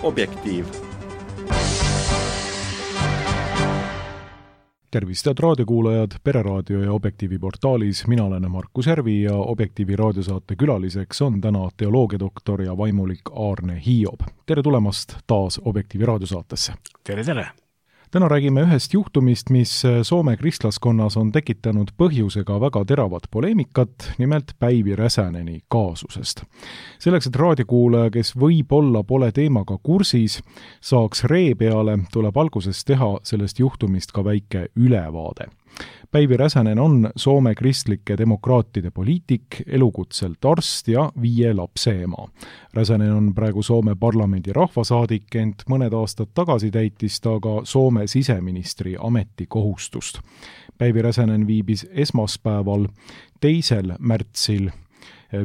Objektiiv. Tervist, head raadiokuulajad, Pereraadio ja Objektiivi portaalis. Mina olen Markus Järvi ja Objektiivi raadiosaate külaliseks on täna teoloogiadoktor ja vaimulik Aarne Hiob. Tere tulemast taas Objektiivi raadiosaatesse. Tere! Täna räägime ühest juhtumist, mis Soome kristlaskonnas on tekitanud põhjusega väga teravat poleemikat, nimelt Päivi Räsäneni kaasusest. Selleks, et raadiokuulaja, kes võib-olla pole teemaga kursis, saaks ree peale, tuleb alguses teha sellest juhtumist ka väike ülevaade. Päivi Räsänen on Soome kristlike demokraatide poliitik, elukutselt arst ja 5 lapse ema. Räsänen on praegu Soome parlamendi rahvasaadik, ent mõned aastad tagasi täitis ta ka Soome siseministri ametikohustust. Päivi Räsänen viibis esmaspäeval 2. märtsil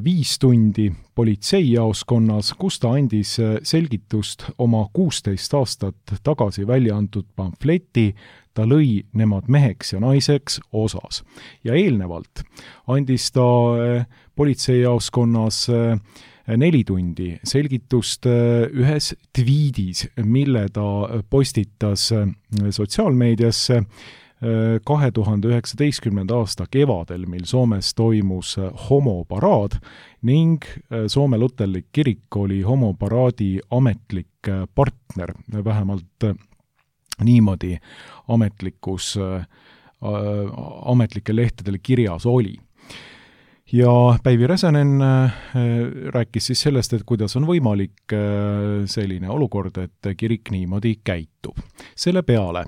5 tundi politseijaoskonnas, kus ta andis selgitust oma 16 aastat tagasi välja antud pamfleti Ta lõi nemad meheks ja naiseks osas. Ja eelnevalt andis ta politseijaoskonnas 4 tundi selgitust ühes tweedis, mille ta postitas sotsiaalmeediasse 2019. aasta kevadel, mil Soomes toimus homoparaad ning Soome luterlik kirik oli homoparaadi ametlik partner, vähemalt niimoodi ametlike lehtedel kirjas oli. Ja Päivi Räsänen rääkis siis sellest, et kuidas on võimalik selline olukord, et kirik niimoodi käitub. Selle peale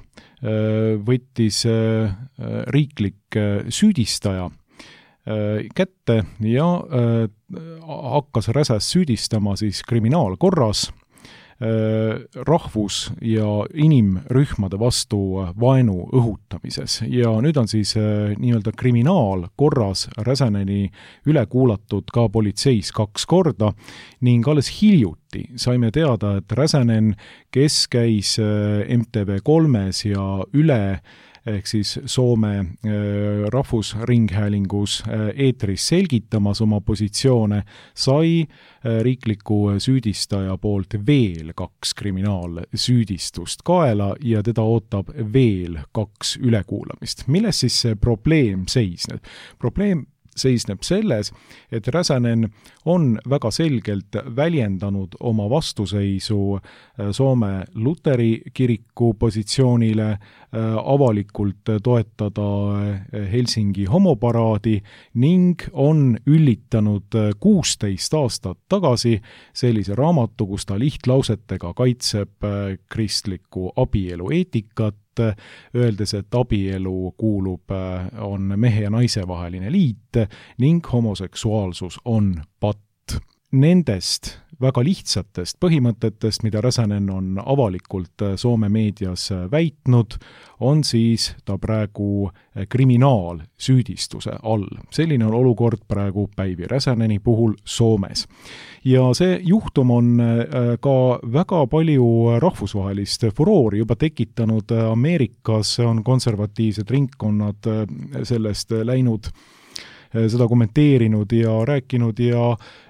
võttis riiklik süüdistaja kätte ja hakkas Räsäst süüdistama siis kriminaalkorras rahvus- ja inimrühmade vastu vaenu õhutamises. Ja nüüd on siis nii-öelda kriminaalkorras Räsäneni üle kuulatud ka politseis 2 korda ning alles hiljuti saime teada, et Räsänen, kes käis MTV3-s ja üle ehk siis Soome rahvusringhäälingus eetris selgitamas oma positsioone, sai riikliku süüdistaja poolt veel 2 kriminaalsüüdistust kaela ja teda ootab veel 2 ülekuulamist. Milles siis see probleem seisneb? Probleem seisneb selles, et Räsänen on väga selgelt väljendanud oma vastuseisu Soome luteri kiriku positsioonile avalikult toetada Helsingi homoparaadi ning on üllitanud 16 aastat tagasi sellise raamatu, kus ta lihtlausetega kaitseb kristlikku abielu eetikat, öeldes, et abielu on mehe ja naise vaheline liit ning homoseksuaalsus on patt. Nendest väga lihtsatest põhimõtetest, mida Räsänen on avalikult Soome meedias väitnud, on siis ta praegu kriminaalsüüdistuse all. Selline on olukord praegu Päivi Räsäneni puhul Soomes. Ja see juhtum on ka väga palju rahvusvahelist furoori juba tekitanud. Ameerikas on konservatiivsed ringkonnad sellest läinud, seda kommenteerinud ja rääkinud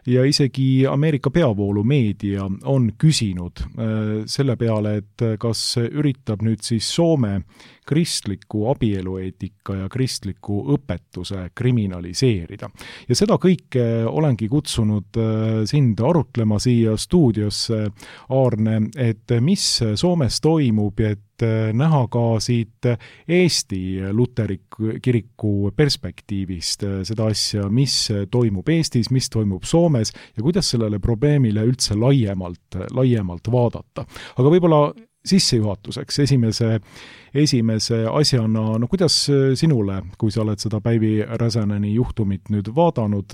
ja isegi Ameerika peavoolumeedia on küsinud selle peale, et kas üritab nüüd siis Soome kristliku abielueetika ja kristliku õpetuse kriminaliseerida. Ja seda kõike olengi kutsunud sind arutlema siia stuudiosse, Aarne, et mis Soomes toimub, et näha ka siit Eesti luterliku kiriku perspektiivist seda asja, mis toimub Eestis, mis toimub Soomes ja kuidas sellele probleemile üldse laiemalt vaadata. Aga võib-olla sissejuhatuseks esimese asjana, kuidas sinule, kui sa oled seda Päivi Räsäneni juhtumit nüüd vaadanud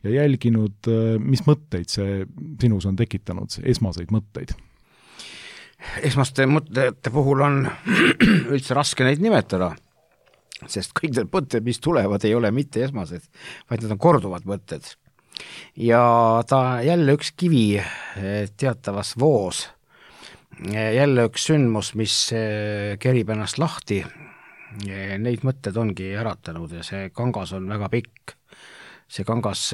ja jälginud, mis mõtteid see sinus on tekitanud, esmaseid mõtteid? Esmaste mõtete puhul on üldse raske neid nimetada, sest kõik need mõtted, mis tulevad, ei ole mitte esmased, vaid need on korduvad mõtted. Ja ta jälle üks kivi teatavas voos, jälle üks sündmus, mis kerib ennast lahti, neid mõtted ongi äratanud ja see kangas on väga pikk. see kangas,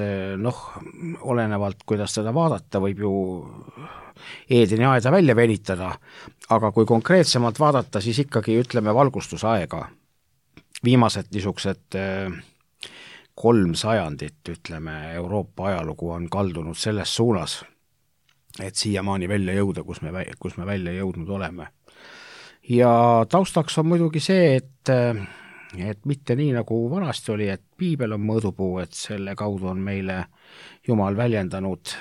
olenevalt, kuidas teda vaadata, võib ju Eedeni aeda välja venitada, aga kui konkreetsemalt vaadata, siis ikkagi ütleme valgustusaega. Viimased niisugused 3 sajandit, ütleme, Euroopa ajalugu on kaldunud selles suunas, et siiamaani välja jõuda, kus me välja jõudnud oleme. Ja taustaks on muidugi see, et mitte nii nagu vanasti oli, et piibel on mõõdupuu, et selle kaudu on meile Jumal väljendanud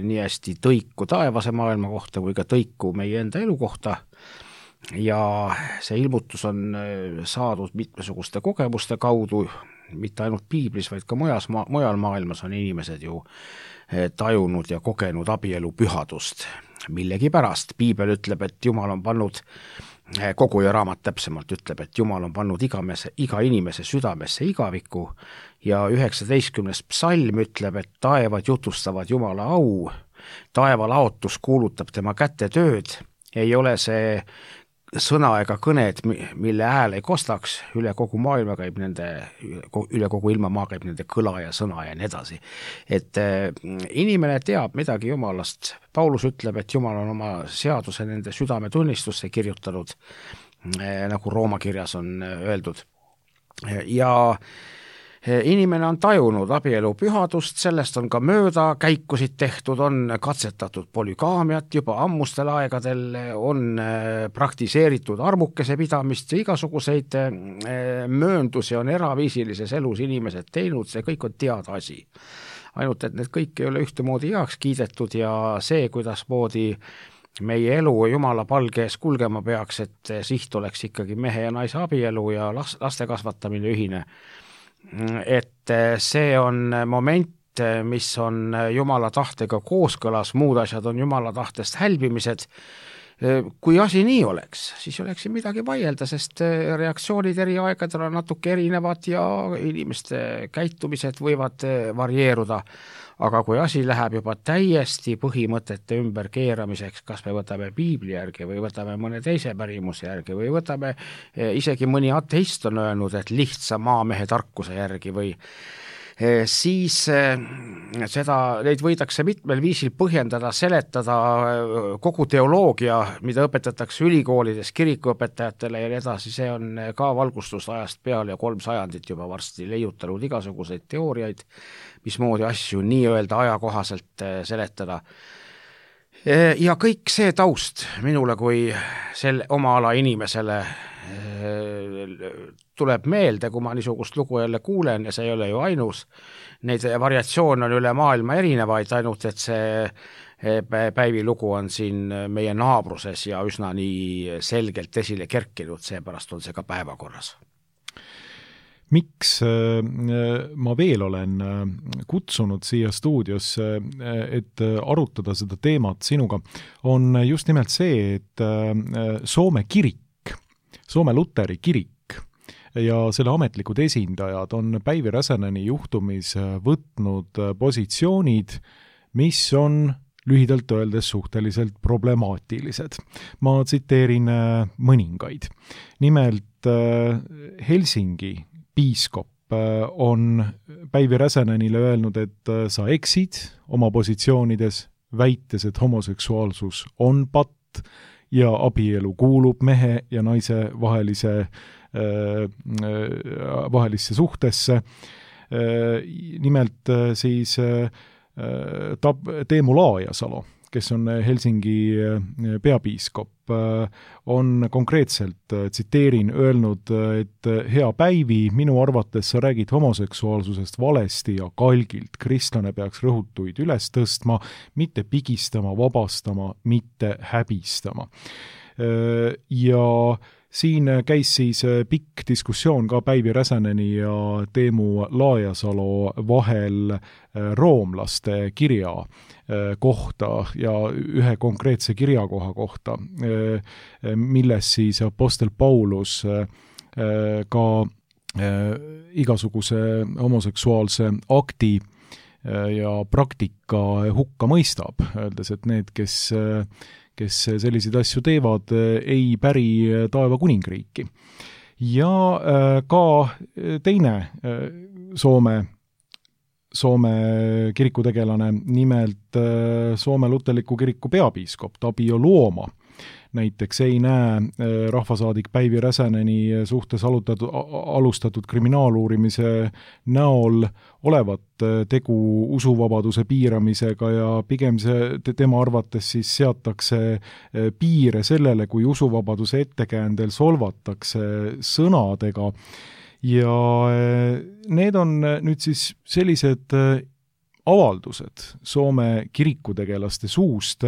nii hästi tõiku taevase maailma kohta kui ka tõiku meie enda elu kohta. Ja see ilmutus on saadud mitmesuguste kogemuste kaudu, mitte ainult piiblis, vaid ka mujal maailmas on inimesed ju tajunud ja kogenud abielu pühadust. Millegi pärast piibel ütleb, et Jumal on pannud, Koguja raamat täpsemalt ütleb, et Jumal on pannud iga inimese südamesse igaviku ja 19. psalm ütleb, et taevad jutustavad Jumala au, taeva laotus kuulutab tema käte tööd, ei ole see sõna ega kõned, mille hääl ei kostaks, üle kogu maailma käib üle kogu ilmamaa käib nende kõla ja sõna ja nii edasi. Et inimene teab midagi Jumalast. Paulus ütleb, et Jumal on oma seaduse nende südametunnistusse kirjutanud, nagu Rooma kirjas on öeldud. Ja inimene on tajunud abielu pühadust, sellest on ka mööda käikusid tehtud, on katsetatud polügaamiat juba ammustel aegadel, on praktiseeritud armukese pidamist ja igasuguseid mööndusi on eraviisilises elus inimesed teinud, see kõik on teada asi. Ainult, et need kõik ei ole ühtemoodi heaks kiidetud ja see, kuidas moodi meie elu Jumala palgees kulgema peaks, et siht oleks ikkagi mehe ja naise abielu ja laste kasvatamine ühine. Et see on moment, mis on Jumala tahtega kooskõlas, muud asjad on Jumala tahtest hälbimised. Kui asi nii oleks, siis oleks midagi vaielda, sest reaktsioonid eri aegadel on natuke erinevad ja inimeste käitumised võivad varieeruda. Aga kui asi läheb juba täiesti põhimõtete ümber keeramiseks, kas me võtame piibli järgi või võtame mõne teise pärimuse järgi või võtame, isegi mõni ateist on öelnud, et lihtsa maamehe tarkuse järgi või siis neid võidakse mitmel viisil põhjendada, seletada kogu teoloogia, mida õpetatakse ülikoolides kirikuõpetajatele ja nii edasi, see on ka valgustusajast peale ja 3 sajandit juba varsti leiutanud igasuguseid teooriaid, mismoodi asju nii-öelda ajakohaselt seletada. Ja kõik see taust minule kui oma ala inimesele tuleb meelde, kui ma niisugust lugu jälle kuulen ja see ei ole ju ainus. Neid variatsioone on üle maailma erinevaid, ainult et see Päivi lugu on siin meie naabruses ja üsna nii selgelt esile kerkinud, seepärast on see ka päevakorras. Miks ma veel olen kutsunud siia stuudiosse, et arutada seda teemat sinuga, on just nimelt see, et Soome kirik, Soome Luteri kirik ja selle ametlikud esindajad on Päivi Räsäneni juhtumis võtnud positsioonid, mis on lühidalt öeldes suhteliselt problemaatilised. Ma tsiteerin mõningaid. Nimelt Helsingi piiskop on Päivi Räsänenile öelnud, et sa eksid oma positsioonides, väites, et homoseksuaalsus on patt ja abielu kuulub mehe ja naise vahelisse suhtesse. Nimelt siis Teemu Laajasalo, kes on Helsingi peapiiskop, on konkreetselt, tsiteerin, öelnud, et hea Päivi, minu arvates sa räägid homoseksuaalsusest valesti ja kalgilt. Kristlane peaks rõhutuid üles tõstma, mitte pigistama, vabastama, mitte häbistama. Ja siin käis siis pikk diskussioon ka Päivi Räsäneni ja Teemu Laajasalo vahel roomlaste kirja kohta ja ühe konkreetse kirjakoha kohta, milles siis apostel Paulus ka igasuguse homoseksuaalse akti ja praktika hukka mõistab, öeldes, et need, kes selliseid asju teevad, ei päri taeva kuningriiki. Ja ka teine Soome Soome kirikutegelane, nimelt Soome luterliku kiriku peapiiskop Tapio Luoma näiteks ei näe rahvasaadik Päivi Räsäneni suhtes alustatud kriminaaluurimise näol olevat tegu usuvabaduse piiramisega ja pigem tema arvates siis seatakse piire sellele, kui usuvabaduse ettekäändel solvatakse sõnadega. Ja need on nüüd siis sellised avaldused Soome kirikutegelaste suust,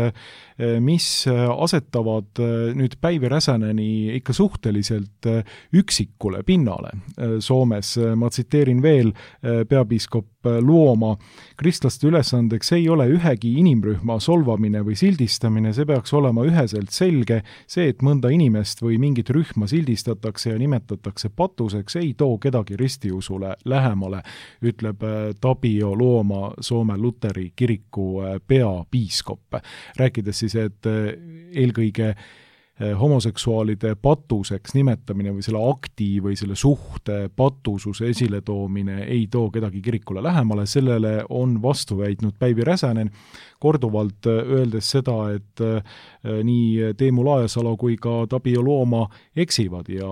mis asetavad nüüd Päivi Räsäneni ikka suhteliselt üksikule pinnale Soomes. Ma tsiteerin veel peapiiskop Luoma: kristlaste ülesandeks ei ole ühegi inimrühma solvamine või sildistamine, see peaks olema üheselt selge. See, et mõnda inimest või mingit rühma sildistatakse ja nimetatakse patuseks, ei too kedagi ristiusule lähemale, ütleb Tapio Luoma, Soome luteri kiriku peapiiskop. Rääkides siis, et eelkõige homoseksuaalide patuseks nimetamine või selle akti või selle suhte patususe esiletoomine ei too kedagi kirikule lähemale, sellele on vastu väitnud Päivi Räsänen, korduvalt öeldes seda, et nii Teemu Laesalu kui ka Tapio Luoma eksivad ja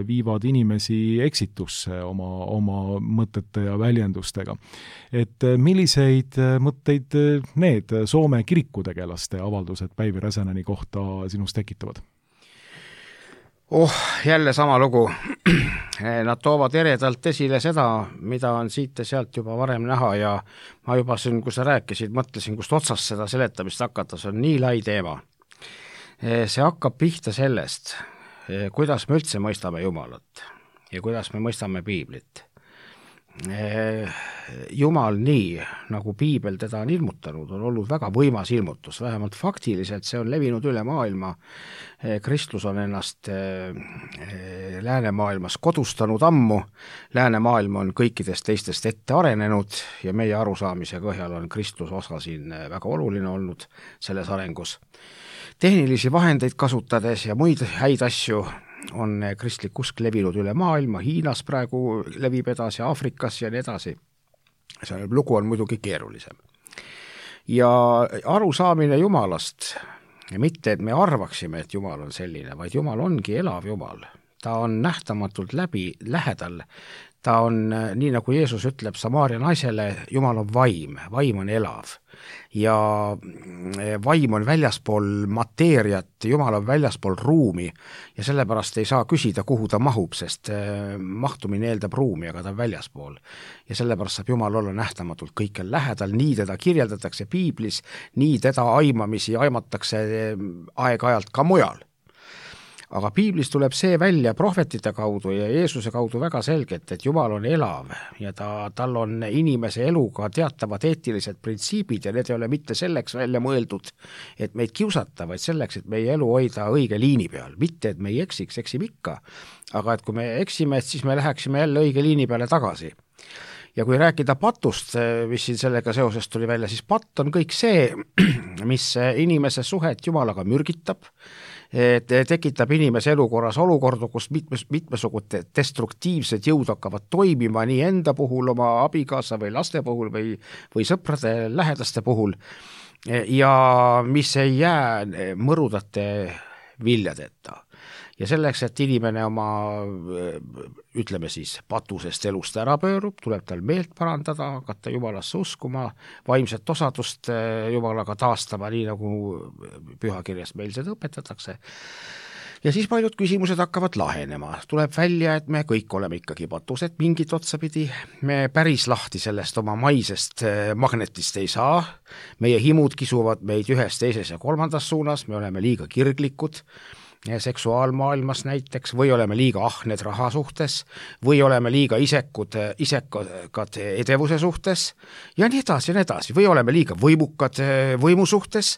viivad inimesi eksitusse oma mõtete ja väljendustega. Et milliseid mõtteid need Soome kirikutegelaste avaldused Päivi Räsäneni kohta sinust tekitavad? Jälle sama lugu. Nad toovad eredalt esile seda, mida on siit ja sealt juba varem näha ja ma juba siin, kui sa rääkisid, mõtlesin, kust otsast seda seletamist hakata, see on nii lai teema. See hakkab pihta sellest, kuidas me üldse mõistame Jumalat ja kuidas me mõistame Piiblit. Jumal nii, nagu Piibel teda on ilmutanud, on olnud väga võimas ilmutus, vähemalt faktiliselt see on levinud üle maailma. Kristus on ennast läänemaailmas kodustanud ammu, läänemaailm on kõikidest teistest ette arenenud ja meie arusaamise põhjal on Kristus osa siin väga oluline olnud selles arengus. Tehnilisi vahendeid kasutades ja muid häid asju on kristlik usk levinud üle maailma, Hiinas praegu levib edasi, Aafrikas ja nii edasi. See lugu on muidugi keerulisem. Ja arusaamine Jumalast, mitte et me arvaksime, et Jumal on selline, vaid Jumal ongi elav Jumal. Ta on nähtamatult lähedal. Ta on, nii nagu Jeesus ütleb Samaaria naisele, Jumal on vaim on elav. Ja vaim on väljaspool mateeriat, Jumal on väljaspool ruumi ja sellepärast ei saa küsida, kuhu ta mahub, sest mahtumine eeldab ruumi, aga ta on väljaspool. Ja sellepärast saab Jumal olla nähtamatult kõikjal lähedal, nii teda kirjeldatakse Piiblis, nii teda aimamisi aimatakse aeg-ajalt ka mujal. Aga Piiblis tuleb see välja prohvetite kaudu ja Jeesuse kaudu väga selgelt, et Jumal on elav ja tal on inimese eluga teatavad eetilised printsiibid ja need ei ole mitte selleks välja mõeldud, et meid kiusata, vaid selleks, et meie elu hoida õige liini peal. Mitte, et me ei eksime ikka, aga et kui me eksime, siis me läheksime jälle õige liini peale tagasi. Ja kui rääkida patust, mis siin sellega seoses tuli välja, siis patt on kõik see, mis inimese suhet Jumalaga mürgitab, tekitab inimese elukorras olukorda, kus mitmesugud destruktiivsed jõud hakkavad toimima nii enda puhul, oma abikaasa või laste puhul või sõprade lähedaste puhul ja mis ei jää mõrudate viljadeta. Ja selleks, et inimene oma, ütleme siis, patusest elust ära pöörub, tuleb tal meelt parandada, hakata Jumalasse uskuma, vaimset osadust Jumalaga taastama, nii nagu pühakirjast meil seda õpetatakse. Ja siis paljud küsimused hakkavad lahenema. Tuleb välja, et me kõik oleme ikkagi patused mingit otsapidi. Me päris lahti sellest oma maisest magnetist ei saa. Meie himud kisuvad meid ühes, teises ja kolmandas suunas. Me oleme liiga kirglikud seksuaalmaailmas näiteks, või oleme liiga ahned raha suhtes, või oleme liiga isekad edevuse suhtes ja nii edasi, või oleme liiga võimukad võimu suhtes.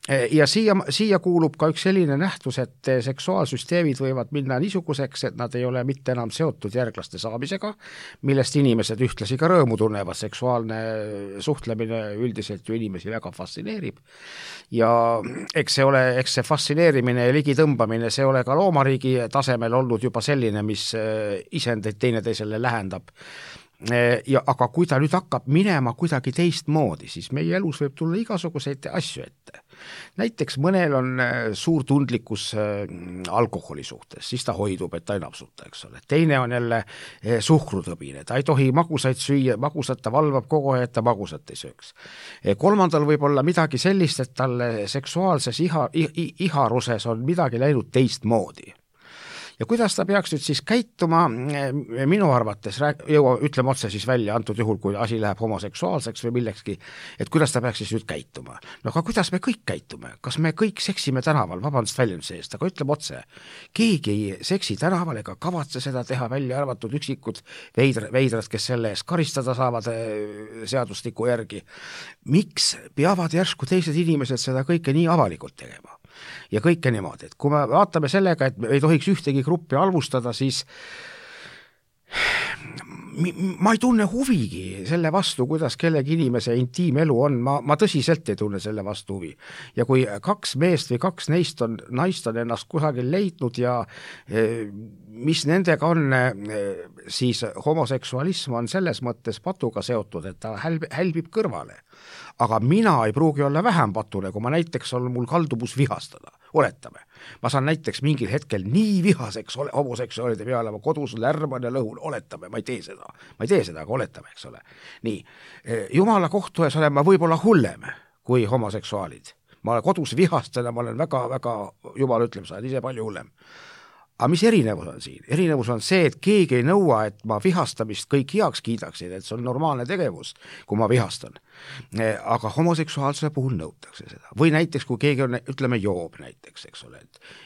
Ja siia kuulub ka üks selline nähtus, et seksuaalsüsteemid võivad minna niisuguseks, et nad ei ole mitte enam seotud järglaste saamisega, millest inimesed ühtlasi ka rõõmu tunnevad. Seksuaalne suhtlemine üldiselt ju inimesi väga fascineerib. Ja eks see fascineerimine ja ligitõmbamine, see ole ka loomariigi tasemel olnud juba selline, mis isendeid teineteisele lähendab. aga kui ta nüüd hakkab minema kuidagi teistmoodi, siis meie elus võib tulla igasuguseid asju ette. Näiteks mõnel on suur tundlikkus alkoholi suhtes, siis ta hoidub, et ta ei napsuta, eks ole. Teine on jälle suhkrutõbine, ta ei tohi magusaid süüa, magusat ta valvab kogu aeg, et ta magusat ei sööks. Kolmandal võib olla midagi sellist, et talle seksuaalses iharuses on midagi läinud teistmoodi. Ja kuidas ta peaks nüüd siis käituma, minu arvates, ütleme otse siis välja, antud juhul, kui asi läheb homoseksuaalseks või millekski, et kuidas ta peaks siis nüüd käituma. No aga kuidas me kõik käitume? Kas me kõik seksime tänaval, vabandust väljenduse eest, aga ütleme otse, keegi ei seksi tänaval ega kavatse seda teha, välja arvatud üksikud veidrad, kes selle eest karistada saavad seadustiku järgi. Miks peavad järsku teised inimesed seda kõike nii avalikult tegema? Ja kõike niimoodi, et kui me vaatame sellega, et me ei tohiks ühtegi gruppi halvustada, siis ma ei tunne huvigi selle vastu, kuidas kellegi inimese intiimelu on, ma tõsiselt ei tunne selle vastu huvi. Ja kui 2 meest või 2 naist on ennast kusagil leidnud ja mis nendega on, siis homoseksualism on selles mõttes patuga seotud, et ta hälbib kõrvale. Aga mina ei pruugi olla vähem patune, kui ma näiteks on mul kaldubus vihastada. Oletame. Ma saan näiteks mingil hetkel nii vihaseks homoseksuaalide peale, ma kodus lärman ja lõhun, oletame, ma ei tee seda, aga oletame, eks ole. Nii, Jumala kohtu ees olen ma võib-olla hullem kui homoseksuaalid. Ma kodus vihastan ja ma olen väga, Jumal ütleb, sa oled ise palju hullem. Aga mis erinevus on siin? Erinevus on see, et keegi ei nõua, et ma vihastamist kõik heaks kiidaksid, et see on normaalne tegevus, kui ma vihastan. Aga homoseksuaalsuse puhul nõutakse seda. Või näiteks, kui keegi on, ütleme, joob näiteks, eks ole.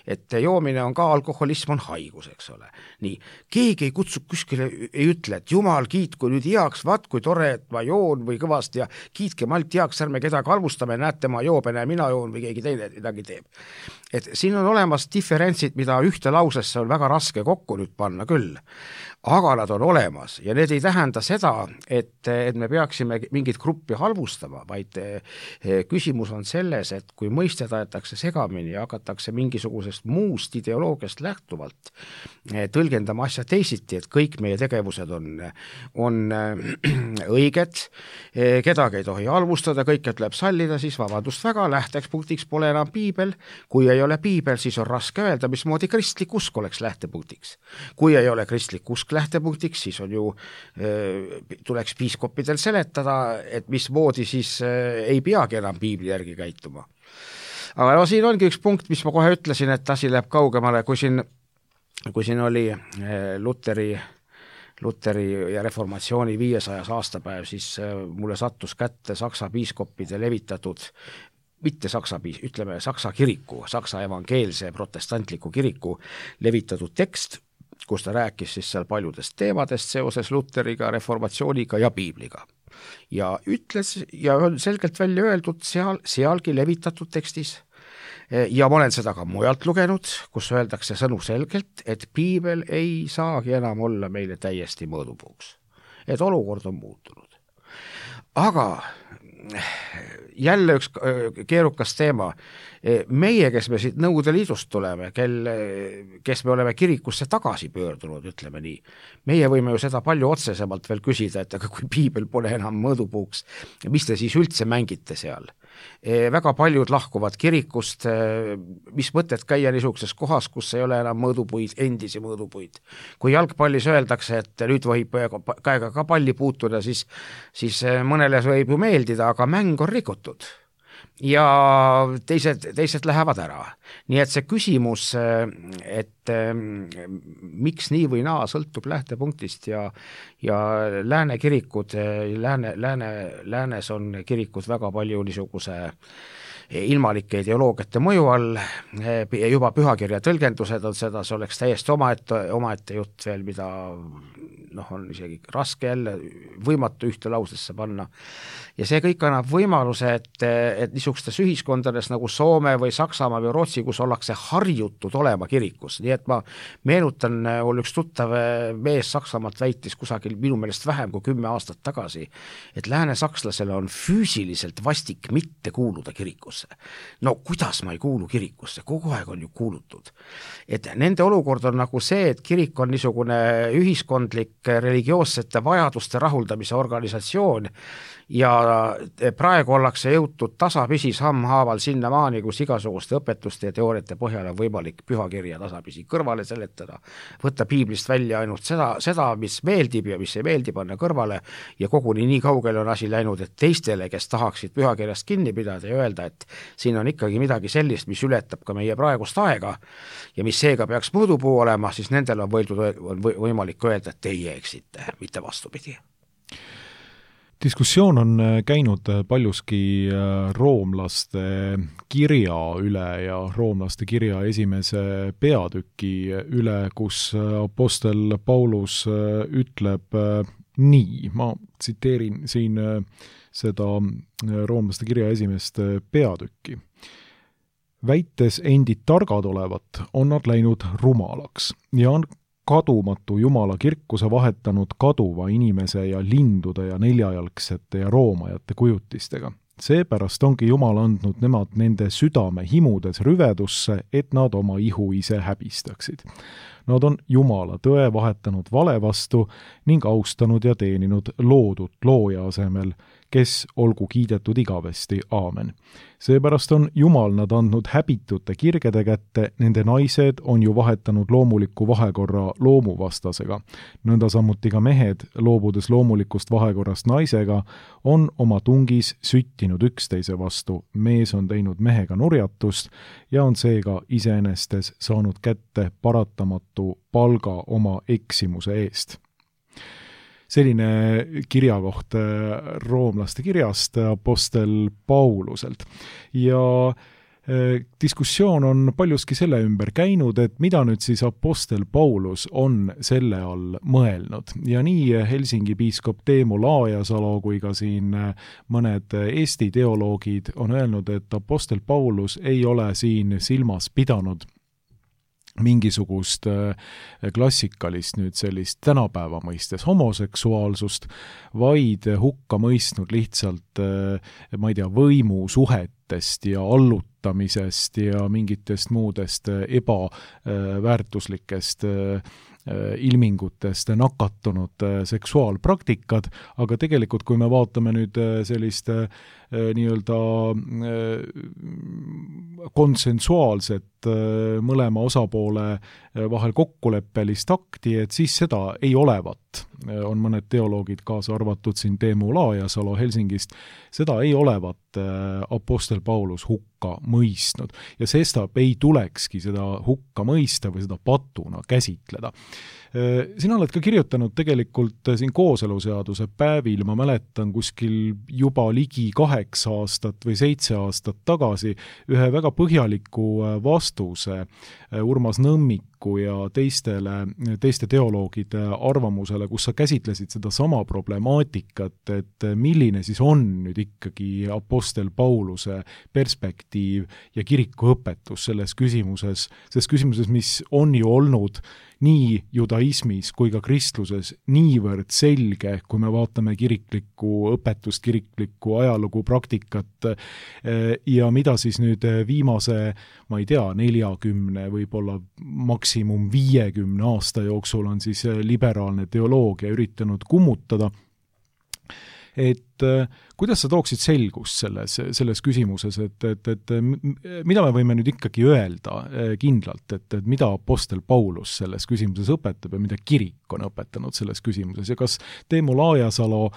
Et joomine on ka, alkoholism on haigus, eks ole. Nii, keegi ei kutsu kuskile, ei ütle, et Jumal, kiitku nüüd heaks, vaat kui tore, et ma joon või kõvasti ja kiitke malt heaks, ärme kedagi halvustame, näete ma joobene ja mina joon või keegi teine midagi teeb. Et siin on olemas diferentsid, mida ühte lausesse on väga raske kokku nüüd panna küll, aga nad on olemas ja need ei tähenda seda, et me peaksime mingit gruppi halvustama, vaid küsimus on selles, et kui mõisted aetakse segamini ja hakatakse mingisugusest muust ideoloogiast lähtuvalt tõlgendama asja teisiti, et kõik meie tegevused on õiged, kedagi ei tohi halvustada, kõike tuleb sallida, siis vabandust väga, lähtepunktiks pole enam piibel, kui ei ole piibel, siis on raske öelda, mismoodi kristlik usk oleks lähtepunktiks. Kui ei ole kristlik usk lähtepunktiks, siis on ju, tuleks piiskopidel seletada, et mismoodi siis ei peagi enam piibli järgi käituma. Aga no siin ongi üks punkt, mis ma kohe ütlesin, et asi läheb kaugemale, kui siin oli Luteri ja reformatsiooni 500 aastapäev, siis mulle sattus kätte Saksa piiskopide levitatud mitte Saksa kiriku, Saksa evangeelse protestantliku kiriku levitatud tekst, kus ta rääkis siis seal paljudest teemadest seoses Luteriga, reformatsiooniga ja piibliga. Ja ütles ja on selgelt välja öeldud sealgi levitatud tekstis ja ma olen seda ka mujalt lugenud, kus öeldakse sõnu selgelt, et piibel ei saagi enam olla meile täiesti mõõdupuuks. Et olukord on muutunud. Aga jälle üks keerukas teema. Meie, kes me siit Nõukogude Liidust tuleme, kes me oleme kirikusse tagasi pöördunud, ütleme nii, meie võime ju seda palju otsesemalt veel küsida, et aga kui piibel pole enam mõõdupuuks, mis te siis üldse mängite seal? Väga paljud lahkuvad kirikust, mis mõtet käia niisuguses kohas, kus ei ole enam mõõdupuid, endisi mõõdupuid. Kui jalgpallis öeldakse, et nüüd võib käega ka palli puutuda, siis mõnele võib ju meeldida, aga mäng on rikutud. Ja teised lähevad ära. Nii et see küsimus, et miks nii või naa sõltub lähtepunktist ja lääne kirikud, läänes on kirikud väga palju niisuguse ilmalike ideoloogiate mõju all, juba pühakirja tõlgendused on seda, see oleks täiesti omaette jutt veel, mida on isegi raske jälle võimatu ühte lausesse panna. Ja see kõik annab võimaluse, et niisugustes ühiskondades nagu Soome või Saksamaa või Rootsi, kus ollakse harjutud olema kirikus. Nii et ma meenutan, mul üks tuttav mees Saksamaalt väitis kusagil minu meelest vähem kui 10 aastat tagasi, et lääne sakslasele on füüsiliselt vastik mitte kuuluda kirikusse. kirikusse. No kuidas ma ei kuulu kirikusse, kogu aeg on ju kuulutud. Et nende olukord on nagu see, et kirik on niisugune ühiskondlik religioossete vajaduste rahuldamise organisatsioon ja praegu ollakse jõutud tasapisi sammhaaval sinnamaani, kus igasuguste õpetuste ja teooriate põhjal on võimalik pühakirja tasapisi kõrvale seletada, võtta piiblist välja ainult seda, mis meeldib ja mis ei meeldi, panna kõrvale ja koguni nii kaugele on asi läinud, et teistele, kes tahaksid pühakirjast kinni pidada ja öelda, et siin on ikkagi midagi sellist, mis ületab ka meie praegust aega ja mis seega peaks mõõdupuu olema, siis nendel on võimalik öelda, et teie eksite, mitte vastupidi. Diskussioon on käinud paljuski roomlaste kirja üle ja roomlaste kirja esimese peatüki üle, kus apostel Paulus ütleb nii, ma tsiteerin siin seda roomlaste kirja esimest peatükki. Väites endid targad olevat, on nad läinud rumalaks ja on kadumatu Jumala kirkuse vahetanud kaduva inimese ja lindude ja neljajalgsete ja roomajate kujutistega. Seepärast ongi Jumal andnud nemad nende südame himudes rüvedusse, et nad oma ihu ise häbistaksid. Nad on Jumala tõe vahetanud vale vastu ning austanud ja teeninud loodut looja asemel, kes olgu kiidetud igavesti, aamen. Seepärast on Jumal nad andnud häbitute kirgede kätte, nende naised on ju vahetanud loomuliku vahekorra loomuvastasega. Nõnda samuti ka mehed, loobudes loomulikust vahekorrast naisega, on oma tungis süttinud üksteise vastu. Mees on teinud mehega nurjatust ja on seega iseenestes saanud kätte paratamatu palga oma eksimuse eest. Selline kirjakoht roomlaste kirjast apostel Pauluselt. Ja diskussioon on paljuski selle ümber käinud, et mida nüüd siis apostel Paulus on selle all mõelnud. Ja nii Helsingi piiskop Teemu Laajasalo kui ka siin mõned Eesti teoloogid on öelnud, et apostel Paulus ei ole siin silmas pidanud mingisugust klassikalist nüüd sellist tänapäeva mõistes homoseksuaalsust, vaid hukka mõistnud lihtsalt, ma ei tea, võimusuhetest ja allutamisest ja mingitest muudest ebaväärtuslikest ilmingutest nakatunud seksuaalpraktikad, aga tegelikult kui me vaatame nüüd sellist nii-öelda konsensuaalset mõlema osapoole vahel kokkuleppelist akti, et siis seda ei olevat. On mõned teoloogid kaasa arvatud siin Teemu Laajasalo Helsingist, seda ei olevat apostel Paulus hukka mõistnud ja sestap ei tulekski seda hukka mõista või seda patuna käsitleda. Sina oled ka kirjutanud tegelikult siin kooseluseaduse päevil, ma mäletan kuskil juba ligi 8 aastat või 7 aastat tagasi ühe väga põhjaliku vastuse Urmas Nõmmiku ja teiste teoloogide arvamusele, kus sa käsitlesid seda sama problemaatikat, et milline siis on nüüd ikkagi apostel Pauluse perspektiiv ja kirikuõpetus selles küsimuses, mis on ju olnud nii judaismis kui ka kristluses niivõrd selge, kui me vaatame kiriklikku õpetust, kiriklikku ajalugu, praktikat ja mida siis nüüd viimase, ma ei tea, 40, võib-olla maksimum 50 aasta jooksul on siis liberaalne teoloogia üritanud kummutada. Et kuidas sa tooksid selgust selles küsimuses, et mida me võime nüüd ikkagi öelda kindlalt, et mida apostel Paulus selles küsimuses õpetab ja mida kirik on õpetanud selles küsimuses ja kas Teemu Laajasalo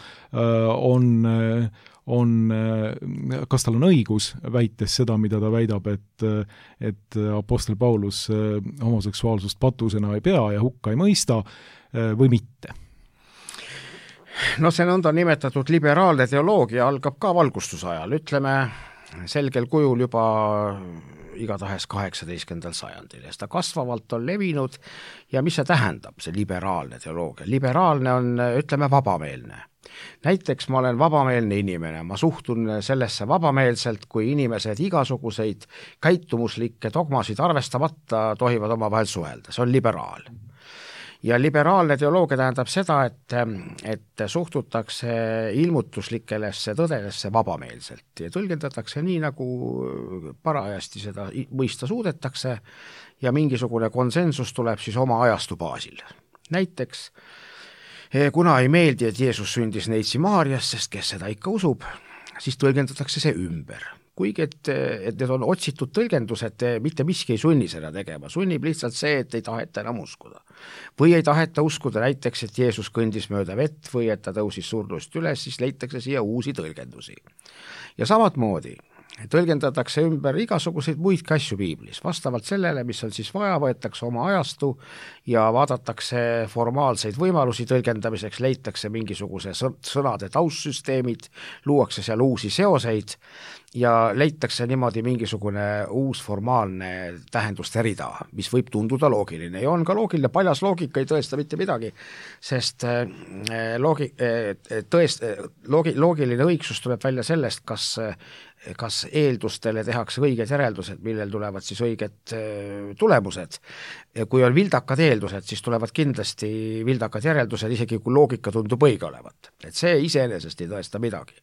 kas tal on õigus väites seda, mida ta väidab, et apostel Paulus homoseksuaalsust patusena ei pea ja hukka ei mõista või mitte? No see nõnda nimetatud liberaalne teoloogia algab ka valgustusajal, ütleme selgel kujul juba igatahes 18. sajandil ja seda kasvavalt on levinud ja mis see tähendab, see liberaalne teoloogia? Liberaalne on, ütleme, vabameelne. Näiteks ma olen vabameelne inimene, ma suhtun sellesse vabameelselt, kui inimesed igasuguseid käitumuslikke dogmasid arvestamata tohivad omavahel suhelda, see on liberaal. ja liberaalne teoloogia tähendab seda, et suhtutakse ilmutuslikelesse tõdedesse vabameelselt ja tõlgendatakse nii, nagu parajasti seda mõista suudetakse ja mingisugune konsensus tuleb siis oma ajastu baasil. Näiteks, kuna ei meeldi, et Jeesus sündis Neitsi Maarjas, sest kes seda ikka usub, siis tõlgendatakse see ümber. Kuigi, et need on otsitud tõlgendused, mitte miski ei sunni seda tegema, sunnib lihtsalt see, et ei taheta enam uskuda. Või ei taheta uskuda näiteks, et Jeesus kõndis mööda vett või et ta tõusis surnust üles, siis leitakse siia uusi tõlgendusi. Ja samatmoodi tõlgendatakse ümber igasuguseid muid asju piiblis, vastavalt sellele, mis on siis vaja, võetakse oma ajastu ja vaadatakse formaalseid võimalusi tõlgendamiseks, leitakse mingisuguse sõnade taustsüsteemid, luuakse seal uusi seoseid ja leitakse niimoodi mingisugune uus formaalne tähenduste rida, mis võib tunduda loogiline ja on ka loogiline, paljas loogika ei tõesta mitte midagi, sest loogiline õigsus tuleb välja sellest, kas eeldustele tehakse õiged järeldused, millel tulevad siis õiged tulemused. Kui on vildakad eeldused, siis tulevad kindlasti vildakad järeldused, isegi kui loogika tundub õige olevat. Et see iseenesest ei tõesta midagi.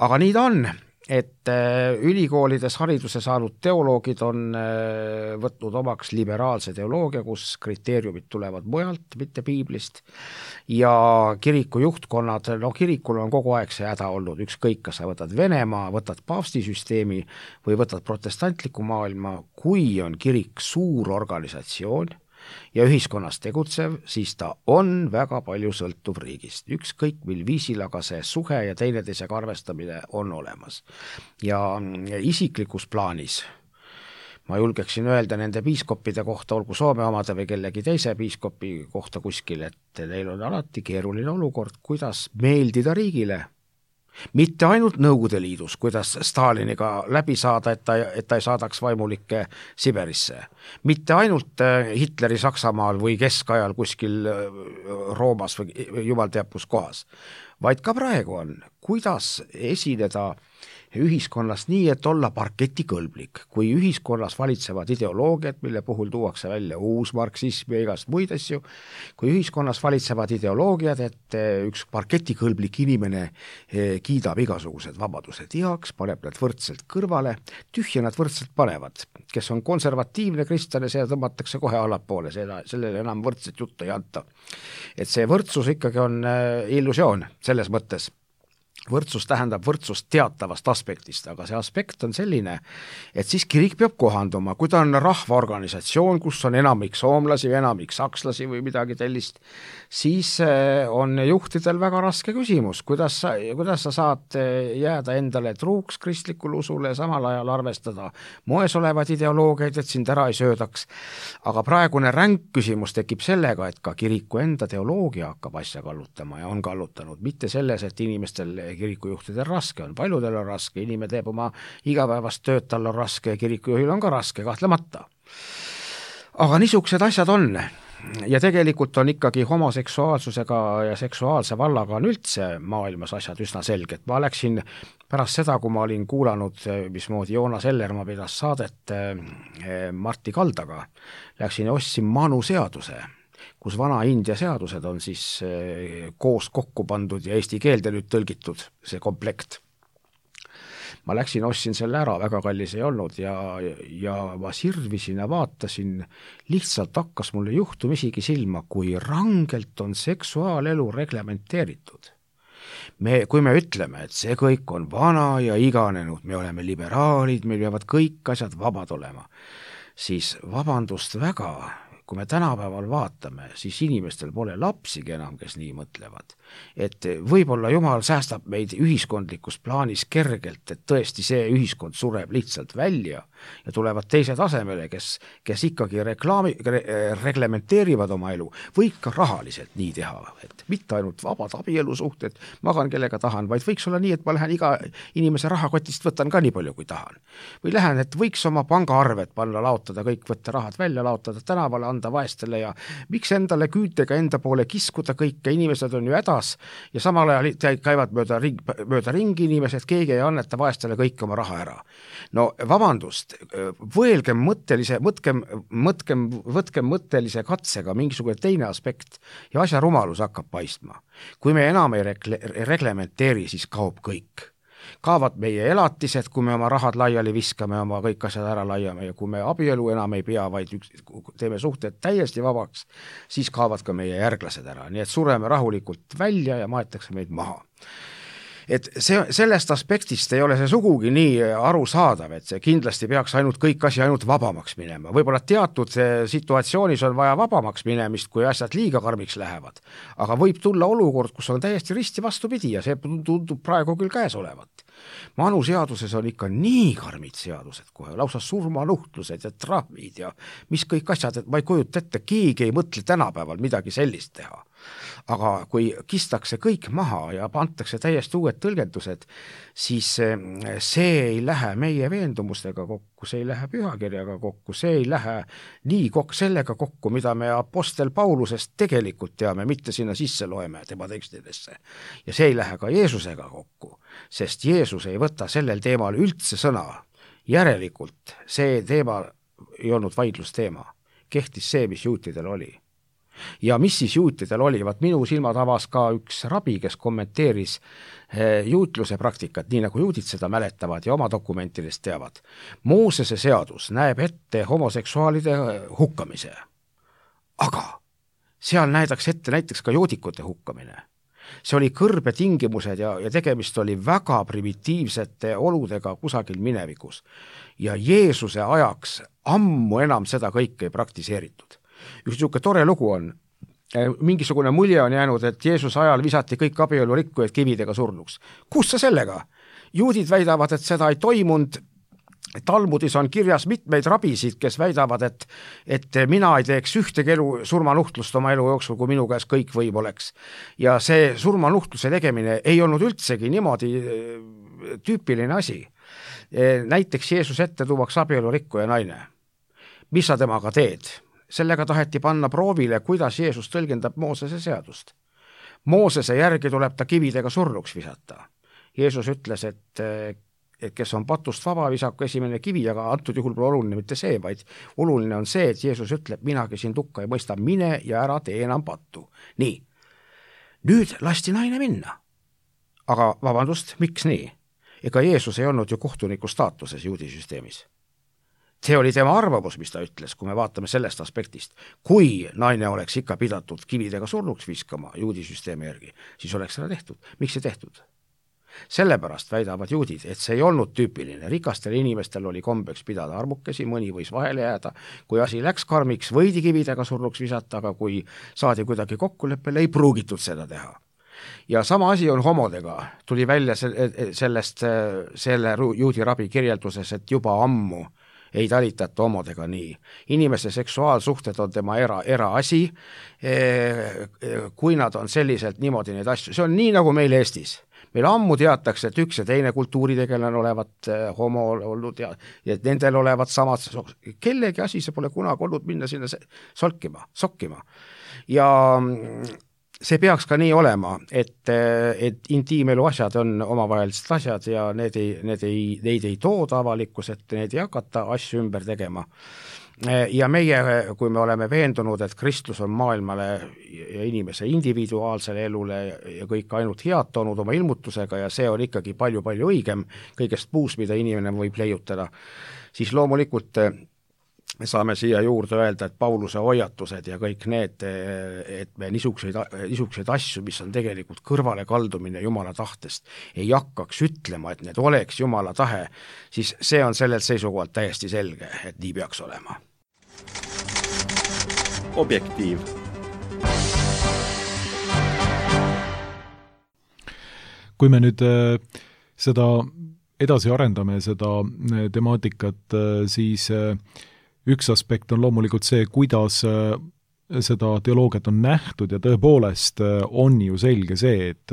Aga nii ta on, et ülikoolides hariduse saanud teoloogid on võtnud omaks liberaalse teoloogia, kus kriteeriumid tulevad mujalt, mitte piiblist, ja kiriku juhtkonnad, kirikul on kogu aeg see häda olnud, ükskõik, kas sa võtad Venemaa, võtad paavstisüsteemi või võtad protestantliku maailma, kui on kirik suur organisatsioon ja ühiskonnas tegutsev, siis ta on väga palju sõltuv riigist. Ükskõik mil viisil, aga see suhe ja teineteisega arvestamine on olemas. Ja isiklikus plaanis ma julgeksin öelda nende piiskoppide kohta, olgu Soome omade või kellegi teise piiskopi kohta kuskil, et neil on alati keeruline olukord, kuidas meeldida riigile. Mitte ainult Nõukogude Liidus, kuidas Staliniga läbi saada, et ta ei saadaks vaimulikke Siberisse. Mitte ainult Hitleri Saksamaal või keskajal kuskil Roomas või jumal teab kus kohas, vaid ka praegu on, kuidas esineda ühiskonnas nii, et olla parketikõlblik. Kui ühiskonnas valitsevad ideoloogiad, mille puhul tuuakse välja uus marksism ja igast muid asju, kui ühiskonnas valitsevad ideoloogiad, et üks parketikõlblik inimene kiidab igasugused vabadused heaks, paneb nad võrdselt kõrvale, tühja nad võrdselt panevad. Kes on konservatiivne kristlane, see tõmmatakse kohe allapoole, sellele enam võrdset juttu ei anta. Et see võrdsus ikkagi on illusioon selles mõttes. Võrdsus tähendab võrdsust teatavast aspektist, aga see aspekt on selline, et siis kirik peab kohanduma, kui ta on rahvaorganisatsioon, kus on enamik soomlasi või enamik sakslasi või midagi tellist, siis on juhtidel väga raske küsimus, kuidas sa saad jääda endale truuks kristlikule usule ja samal ajal arvestada moes olevad ideoloogiaid, et sind ära ei söödaks. Aga praegune ränk küsimus tekib sellega, et ka kiriku enda teoloogia hakkab asja kallutama ja on kallutanud, mitte selles, et inimestel kirikujuhtidel raske on, paljudel on raske, inimene teeb oma igapäevast tööd, tal on raske, kirikujuhil on ka raske, kahtlemata. Aga niisugused asjad on ja tegelikult on ikkagi homoseksuaalsusega ja seksuaalse vallaga on üldse maailmas asjad üsna selged. Ma läksin pärast seda, kui ma olin kuulanud, mismoodi Joonas Ellermaa pidas saadet Martti Kaldaga, läksin ja ostsin Manu seaduse, kus vana India seadused on siis koos kokku pandud ja eesti keelde nüüd tõlgitud, see komplekt. Ma läksin, ostsin selle ära, väga kallis ei olnud ja ma sirvisin ja vaatasin, lihtsalt hakkas mulle juhtum isegi silma, kui rangelt on seksuaalelu reglementeeritud. Kui me ütleme, et see kõik on vana ja iganenud, me oleme liberaalid, meil peavad kõik asjad vabad olema, siis vabandust väga, kui me tänapäeval vaatame, siis inimestel pole lapsigi enam, kes nii mõtlevad. Et võib-olla Jumal säästab meid ühiskondlikus plaanis kergelt, et tõesti see ühiskond sureb lihtsalt välja ja tulevad teised asemele, kes ikkagi reglementeerivad oma elu, või ka rahaliselt nii teha, et mitte ainult vabad abielusuhted, magan kellega tahan, vaid võiks olla nii, et ma lähen iga inimese rahakotist, võtan ka nii palju, kui tahan. Või lähen, et võiks oma pangaarvet panna, laotada kõik, võtta rahad välja, laotada tänavale, anda vaestele ja miks endale küütega enda poole kiskuda kõike, inimesed on ju hädas ja samal ajal käivad mööda ringi inimesed, keegi ei anneta vaestele kõik oma raha ära. No vabandust, võtkem mõttelise katsega mingisugune teine aspekt ja asja rumalus hakkab paistma. Kui me enam ei reglementeeri, siis kaob kõik. Kaovad meie elatised, kui me oma rahad laiali viskame, oma kõik asjad ära laiame ja kui me abielu enam ei pea, vaid teeme suhted täiesti vabaks, siis kaovad ka meie järglased ära. Nii et sureme rahulikult välja ja maetakse meid maha. Et sellest aspektist ei ole see sugugi nii arusaadav, et see kindlasti peaks kõik asi ainult vabamaks minema. Võib-olla teatud situatsioonis on vaja vabamaks minemist, kui asjad liiga karmiks lähevad. Aga võib tulla olukord, kus on täiesti risti vastupidi ja see tundub praegu küll käes olevat. Manuseaduses on ikka nii karmid seadused kohe, lausa surmanuhtlused ja trahvid ja mis kõik asjad, et ma ei kujuta ette, keegi ei mõtle tänapäeval midagi sellist teha. Aga kui kistakse kõik maha ja antakse täiesti uued tõlgendused, siis see ei lähe meie veendumustega kokku, see ei lähe pühakirjaga kokku, see ei lähe nii sellega kokku, mida me apostel Paulusest tegelikult teame, mitte sinna sisse loeme tema tekstidesse. Ja see ei lähe ka Jeesusega kokku, sest Jeesus ei võta sellel teemal üldse sõna. Järelikult see teema ei olnud vaidlusteema, kehtis see, mis juutidel oli. Ja mis siis juutidel oli? Vaat minu silmad avas ka üks rabi, kes kommenteeris juutluse praktikat, nii nagu juudid seda mäletavad ja oma dokumentidest teavad. Moosese seadus näeb ette homoseksuaalide hukkamise. Aga seal näidaks ette näiteks ka joodikute hukkamine. See oli kõrbe tingimused ja tegemist oli väga primitiivsete oludega kusagil minevikus. Ja Jeesuse ajaks ammu enam seda kõike ei praktiseeritud. Üks niisugune tore lugu on, mingisugune mulje on jäänud, et Jeesuse ajal visati kõik abielu rikkujad kividega surnuks. Kus sa sellega? Juudid väidavad, et seda ei toimunud. Talmudis on kirjas mitmeid rabisid, kes väidavad, et mina ei teeks ühtegi surmanuhtlust oma elu jooksul, kui minu käes kõik võim oleks. Ja see surmanuhtluse tegemine ei olnud üldsegi niimoodi tüüpiline asi. Näiteks Jeesus ette tuuaks abielu rikkuja naine. Mis sa temaga teed? Sellega taheti panna proovile, kuidas Jeesus tõlgendab Moosese seadust. Moosese järgi tuleb ta kividega surnuks visata. Jeesus ütles, et kes on patust vaba, visaku esimene kivi, aga antud juhul pole oluline mitte see, vaid oluline on see, et Jeesus ütleb, minagi siin tukka ei mõista, mine ja ära tee enam pattu. Nii, nüüd lasti naine minna. Aga vabandust, miks nii? Ega Jeesus ei olnud ju kohtuniku staatuses juudisüsteemis. See oli tema arvamus, mis ta ütles, kui me vaatame sellest aspektist. Kui naine oleks ikka pidatud kividega surnuks viskama juudisüsteemi järgi, siis oleks seda tehtud. Miks ei tehtud? Sellepärast väidavad juudid, et see ei olnud tüüpiline. Rikastel inimestel oli kombeks pidada armukesi, mõni võis vahele jääda. Kui asi läks karmiks, võidi kividega surnuks visata, aga kui saadi kuidagi kokkuleppele, ei pruugitud seda teha. Ja sama asi on homodega. Tuli välja selle juudi rabi kirjelduses, et juba ammu ei talitata homodega nii. Inimese seksuaalsuhted on tema eraasi, kui nad on selliselt niimoodi neid asju. See on nii nagu meil Eestis. Meil ammu teatakse, et üks ja teine kultuuritegelane olevat homo olnud ja nendel olevat samad. Kellegi asi see pole kunagi olnud minna sinna sokkima. Ja see peaks ka nii olema, et intiimelu asjad on omavahelised asjad ja neid ei tooda avalikkus, et need ei hakata asju ümber tegema. Ja meie, kui me oleme veendunud, et kristlus on maailmale ja inimese individuaalsele elule ja kõik ainult head toonud oma ilmutusega ja see on ikkagi palju-palju õigem kõigest puus, mida inimene võib leiutada, siis loomulikult me saame siia juurde öelda, et Pauluse hoiatused ja kõik need, et me niisuguseid asju, mis on tegelikult kõrvale kaldumine Jumala tahtest, ei hakkaks ütlema, et need oleks Jumala tahe, siis see on sellelt seisukohalt täiesti selge, et nii peaks olema. Objektiiv. Kui me nüüd seda edasi arendame, seda temaatikat, siis üks aspekt on loomulikult see, kuidas seda teoloogiat on nähtud ja tõepoolest on ju selge see, et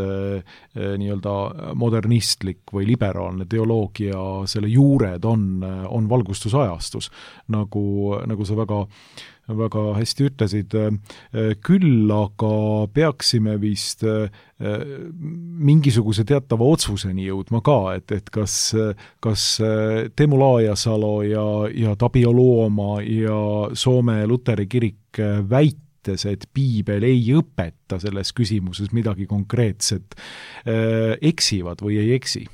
nii-öelda modernistlik või liberaalne teoloogia, selle juured on valgustusajastus, nagu sa väga väga hästi ütlesid, küll aga peaksime vist mingisuguse teatava otsuseni jõudma ka, et kas Teemu Laajasalo ja Tapio Luoma ja Soome Luteri kirik väites, et piibel ei õpeta selles küsimuses midagi konkreetset, eksivad või ei eksi?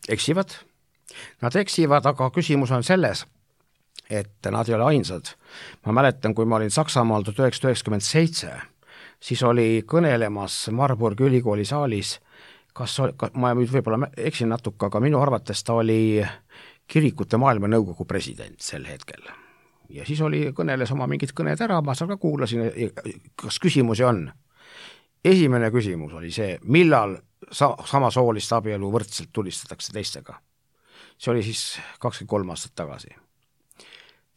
Eksivad. Nad eksivad, aga küsimus on selles, et nad ei ole ainsad. Ma mäletan, kui ma olin Saksamaal 1997, siis oli kõnelemas Marburgi ülikooli saalis, ma võib-olla eksin natuke, aga minu arvates ta oli kirikute maailmanõukogu president sel hetkel. Ja siis kõneles oma mingid kõned ära, ma seal ka kuulasin, kas küsimusi on. Esimene küsimus oli see, millal samasoolist abielu võrdselt tulistatakse teistega. See oli siis 23 aastat tagasi.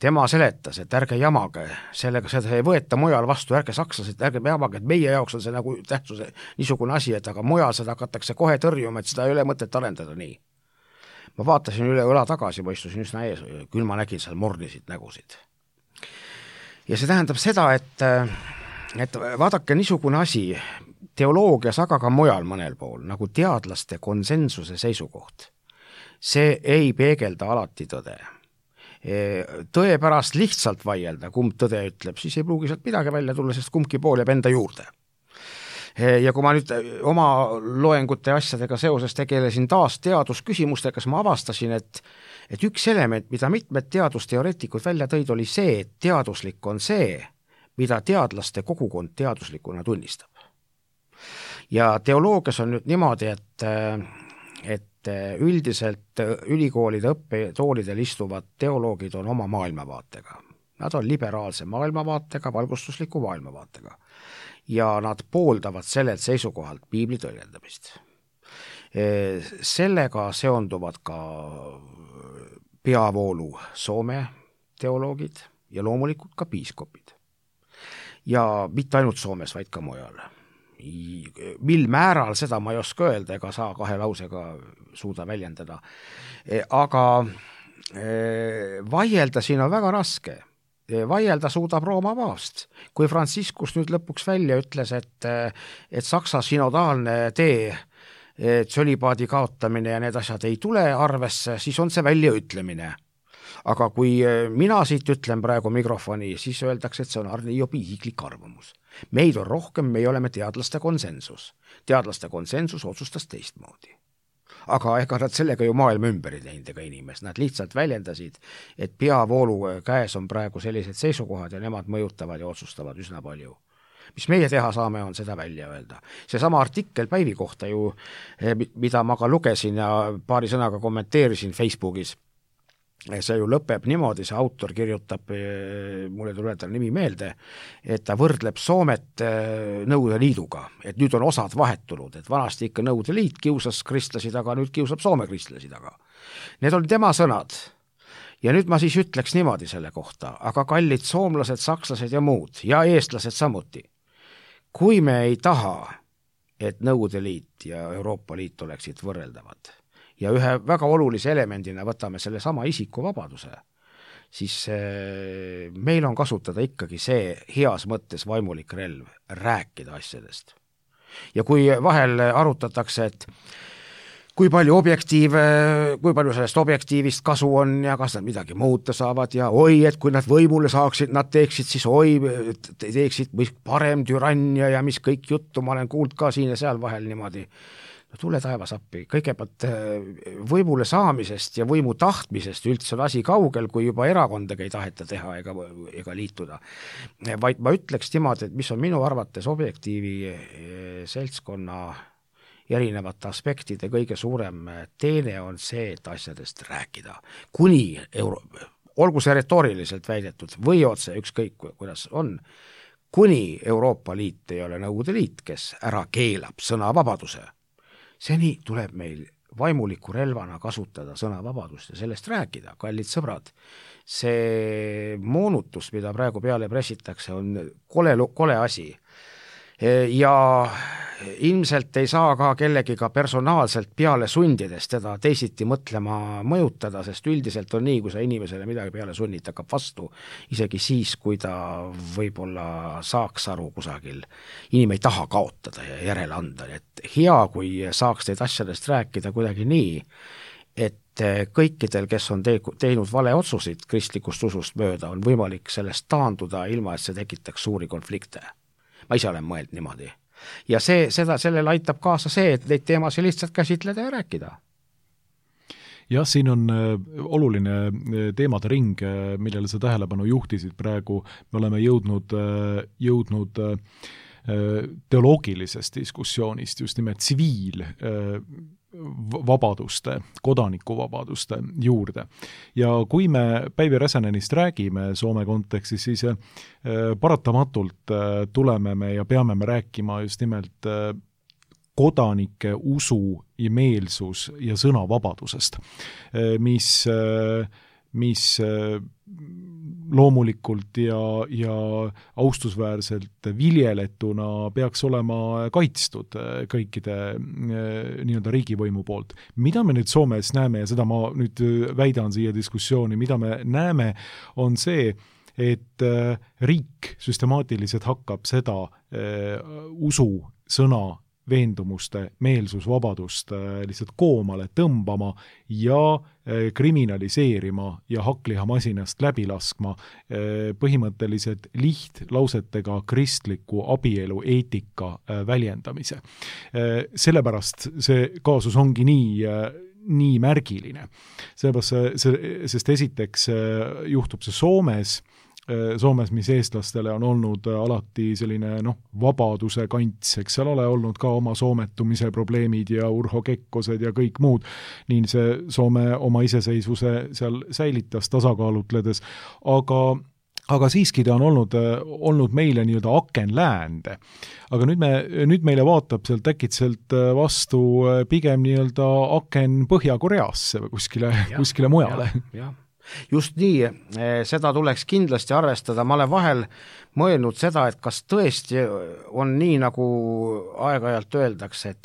Tema seletas, et ärge jamage, sellega seda ei võeta mujal vastu, ärge sakslased, ärge jamage, et meie jaoks on see nagu tähtsuse niisugune asi, et aga mujal seda hakatakse kohe tõrjuma, et seda ei ole mõtet arendada nii. Ma vaatasin üle õla tagasi, ma istusin üsna ees, küll ma nägin seal mornisid nägusid. Ja see tähendab seda, et vaadake niisugune asi teoloogias, aga ka mujal mõnel pool, nagu teadlaste konsensuse seisukoht. See ei peegelda alati tõde. Tõe pärast lihtsalt vaielda, kumb tõde ütleb, siis ei pruugi sealt midagi välja tulla, sest kumbki pool jääb enda juurde. Ja kui ma nüüd oma loengute asjadega seoses tegelesin taas teadusküsimustega, siis ma avastasin, et üks element, mida mitmed teadusteoreetikud välja tõid, oli see, et teaduslik on see, mida teadlaste kogukond teaduslikuna tunnistab. Ja teoloogias on nüüd niimoodi, et üldiselt ülikoolide õppetoolidel istuvad teoloogid on oma maailmavaatega. Nad on liberaalse maailmavaatega, valgustusliku maailmavaatega. Ja nad pooldavad sellelt seisukohalt piibli tõlgendamist. Sellega seonduvad ka peavoolu Soome teoloogid ja loomulikult ka piiskopid. Ja mitte ainult Soomes, vaid ka mujal. Mil määral seda ma ei oska öelda, ega saa kahe lausega suuda väljendada. Aga vaielda siin on väga raske. Vaielda suudab Rooma paavst. Kui Franciscus nüüd lõpuks välja ütles, et Saksa synodaalne tee, tsölibaadi kaotamine ja need asjad ei tule arvesse, siis on see väljaütlemine. Aga kui mina siit ütlen praegu mikrofoni, siis öeldakse, et see on Arne Jobi isiklik arvamus. Meid on rohkem, me oleme teadlaste konsensus. Teadlaste konsensus otsustas teistmoodi. Aga ega nad sellega ju maailma ümber ei teinud ega inimest. Nad lihtsalt väljendasid, et peavoolu käes on praegu sellised seisukohad ja nemad mõjutavad ja otsustavad üsna palju. Mis meie teha saame, on seda välja öelda. Seesama artikkel Päivi kohta ju, mida ma ka lugesin ja paari sõnaga kommenteerisin Facebookis, see ju lõpeb niimoodi, see autor kirjutab, mulle tuleb ta nimi meelde, et ta võrdleb Soomet Nõukogude Liiduga, et nüüd on osad vahetunud, et vanasti ikka Nõukogude Liit kiusas kristlasi taga, nüüd kiusab Soome kristlasi taga. Need olid tema sõnad. Ja nüüd ma siis ütleks niimoodi selle kohta, aga kallid soomlased, sakslased ja muud ja eestlased samuti. Kui me ei taha, et Nõukogude Liit ja Euroopa Liit oleksid võrreldavad, ja ühe väga olulise elemendina võtame selle sama isikuvabaduse, siis meil on kasutada ikkagi see heas mõttes vaimulik relv, rääkida asjadest. Ja kui vahel arutatakse, et kui palju sellest objektiivist kasu on ja kas nad midagi muuta saavad ja et kui nad võimule saaksid, nad teeksid siis teeksid parem türannia ja mis kõik juttu, ma olen kuulnud ka siin ja seal vahel niimoodi. No tule taevas appi, kõigepealt võimule saamisest ja võimu tahtmisest üldse on asi kaugel, kui juba erakondadega ei taheta teha ega liituda. Vaid ma ütleks niimoodi, et mis on minu arvates objektiivi seltskonna erinevate aspektide kõige suurem teene on see, et asjadest rääkida. Kuni olgu see retooriliselt väidetud või otse, ükskõik kuidas on, kuni Euroopa Liit ei ole Nõukogude Liit, kes ära keelab sõnavabaduse. Seni tuleb meil vaimuliku relvana kasutada sõnavabadust ja sellest rääkida, kallid sõbrad. See moonutus, mida praegu peale pressitakse, on kole asi. Ja ilmselt ei saa ka kellegiga personaalselt peale sundides teda teisiti mõtlema mõjutada, sest üldiselt on nii, kui sa inimesele midagi peale sunnid, hakkab vastu, isegi siis, kui ta võib-olla saaks aru kusagil. Inimene ei taha kaotada ja järele anda, et hea, kui saaks teid asjadest rääkida kuidagi nii, et kõikidel, kes on teinud vale otsusid kristlikust usust mööda, on võimalik sellest taanduda, ilma et see tekitaks suuri konflikte. Ma ise olen mõeld niimoodi. Ja sellele aitab kaasa see, et neid teemasid lihtsalt käsitleda ja rääkida. Jah, siin on oluline teemade ring, millele sa tähelepanu juhtisid praegu. Me oleme jõudnud teoloogilisest diskussioonist just nimelt tsiviilvabaduste, kodanikuvabaduste juurde. Ja kui me Päivi Räsänenist räägime Soome kontekstis, siis paratamatult tuleme me ja peame me rääkima just nimelt kodanike usu ja meelsus ja sõnavabadusest, mis loomulikult ja austusväärselt viljeletuna peaks olema kaitstud kõikide nii-öelda riigivõimu poolt. Mida me nüüd Soomes näeme, ja seda ma nüüd väidan siia diskussiooni, mida me näeme, on see, et riik süstemaatiliselt hakkab seda usu, sõna, veendumuste, meelsusvabadust lihtsalt koomale tõmbama ja kriminaliseerima ja hakklihamasinast läbi laskma põhimõtteliselt lihtlausetega kristliku abielu eetika väljendamise. Sellepärast see kaasus ongi nii märgiline. Sest esiteks juhtub see Soomes, mis eestlastele on olnud alati selline vabaduse kants, eks seal ole olnud ka oma soometumise probleemid ja Urho Kekkosed ja kõik muud. Nii see Soome oma iseseisvuse seal säilitas tasakaalutledes, aga siiski ta on olnud meile nii-öelda aken läände. Aga nüüd meile vaatab sealt äkitselt vastu pigem nii-öelda aken Põhja-Koreasse või kuskile mujale. Jah. Just nii, seda tuleks kindlasti arvestada. Ma olen vahel mõelnud seda, et kas tõesti on nii, nagu aeg-ajalt öeldakse, et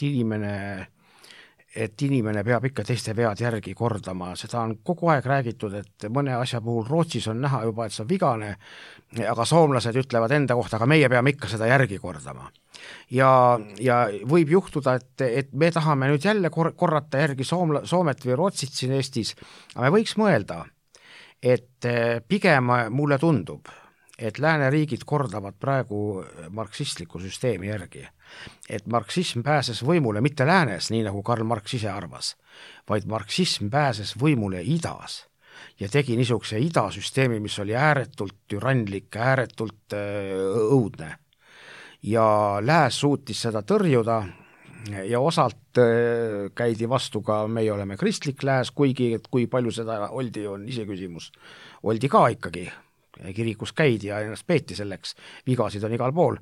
inimene peab ikka teiste vead järgi kordama. Seda on kogu aeg räägitud, et mõne asja puhul Rootsis on näha juba, et see on vigane, aga soomlased ütlevad enda kohta, aga meie peame ikka seda järgi kordama. Ja võib juhtuda, et me tahame nüüd jälle korrata järgi Soomet või Rootsit siin Eestis, aga me võiks mõelda, et pigem mulle tundub, et lääneriigid kordavad praegu marksistliku süsteemi järgi. Et marksism pääses võimule mitte läänes, nii nagu Karl Marx ise arvas, vaid marksism pääses võimule idas ja tegi niisuguse idasüsteemi, mis oli ääretult türanlik, ääretult õudne. Ja lääs suutis seda tõrjuda ja osalt käidi vastu ka, meie oleme kristlik lääs, kuigi kui palju seda oldi, on ise küsimus. Oldi ka ikkagi, kirikus käidi ja ennast peeti selleks, vigasid on igal pool.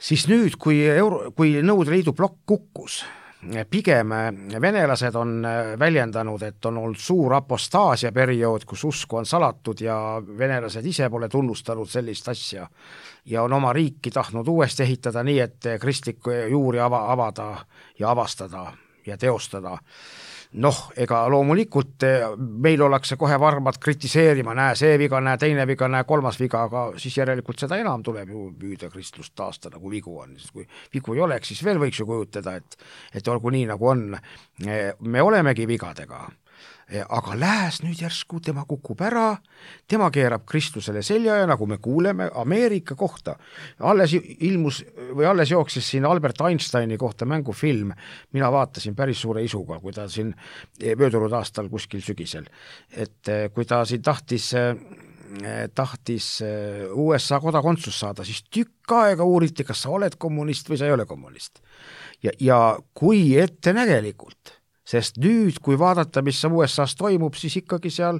Siis nüüd, kui Nõukogude Liidu plokk kukkus, pigem venelased on väljendanud, et on olnud suur apostaasia periood, kus usku on salatud ja venelased ise pole tunnustanud sellist asja ja on oma riiki tahtnud uuesti ehitada nii, et kristlikku juuri avada ja avastada ja teostada. Ega loomulikult meil ollakse kohe varmad kritiseerima, näe see viga, näe teine viga, näe kolmas viga, aga siis järelikult seda enam tuleb ju püüda kristlust taastada, kui vigu on. Kui vigu ei oleks, siis veel võiks ju kujutada, et olgu nii, nagu on. Me olemegi vigadega, aga lääs nüüd järsku, tema kukub ära, tema keerab kristlusele selja ja nagu me kuuleme Ameerika kohta. Alles jooksis siin Albert Einsteini kohta mängufilm, mina vaatasin päris suure isuga, kui ta siin möödunud aastal kuskil sügisel, et kui ta siin tahtis USA kodakondsus saada, siis tükk aega uuriti, kas sa oled kommunist või sa ei ole kommunist. Ja kui ettenägelikult, sest nüüd, kui vaadata, mis USA-s toimub, siis ikkagi seal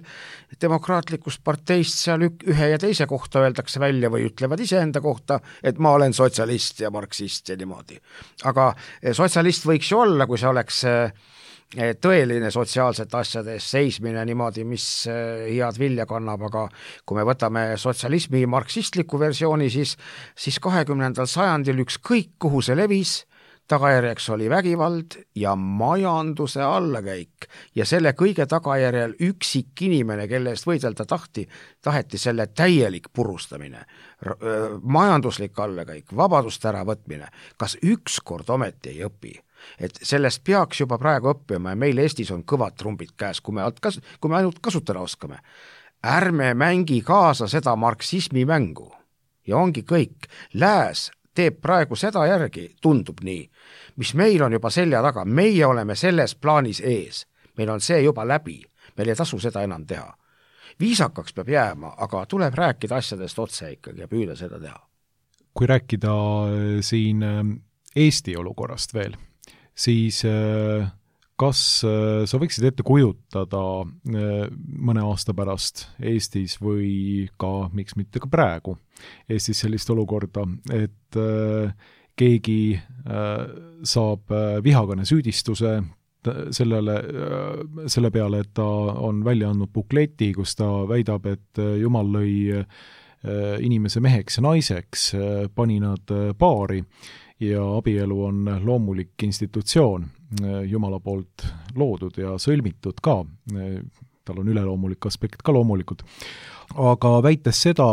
demokraatlikust parteist seal ühe ja teise kohta öeldakse välja või ütlevad iseenda kohta, et ma olen sotsialist ja marksist ja niimoodi. Aga sotsialist võiks ju olla, kui see oleks tõeline sotsiaalsete asjade seismine niimoodi, mis head vilja kannab, aga kui me võtame sotsialismi marksistliku versiooni, siis 20. sajandil ükskõik kuhu see levis, tagajärjeks oli vägivald ja majanduse allakäik ja selle kõige tagajärjel üksik inimene, kelle eest võidelda taheti selle täielik purustamine, majanduslik allakäik, vabaduste äravõtmine. Kas ükskord ometi ei õpi? Et sellest peaks juba praegu õppima ja meil Eestis on kõvad trumbid käes, kui me ainult kasutada oskame. Ärme mängi kaasa seda marksismi mängu ja ongi kõik. Lääs teeb praegu seda järgi, tundub nii, mis meil on juba selja taga, meie oleme selles plaanis ees, meil on see juba läbi, meil ei tasu seda enam teha. Viisakaks peab jääma, aga tuleb rääkida asjadest otse ikkagi ja püüda seda teha. Kui rääkida siin Eesti olukorrast veel, siis kas sa võiksid ette kujutada mõne aasta pärast Eestis või ka, miks mitte ka praegu Eestis sellist olukorda, et keegi saab vihakõne süüdistuse selle peale, et ta on välja andnud bukleti, kus ta väidab, et Jumal lõi inimese meheks ja naiseks, pani nad paari ja abielu on loomulik institutsioon, Jumala poolt loodud ja sõlmitud ka, tal on üleloomulik aspekt ka loomulikult, aga väites seda,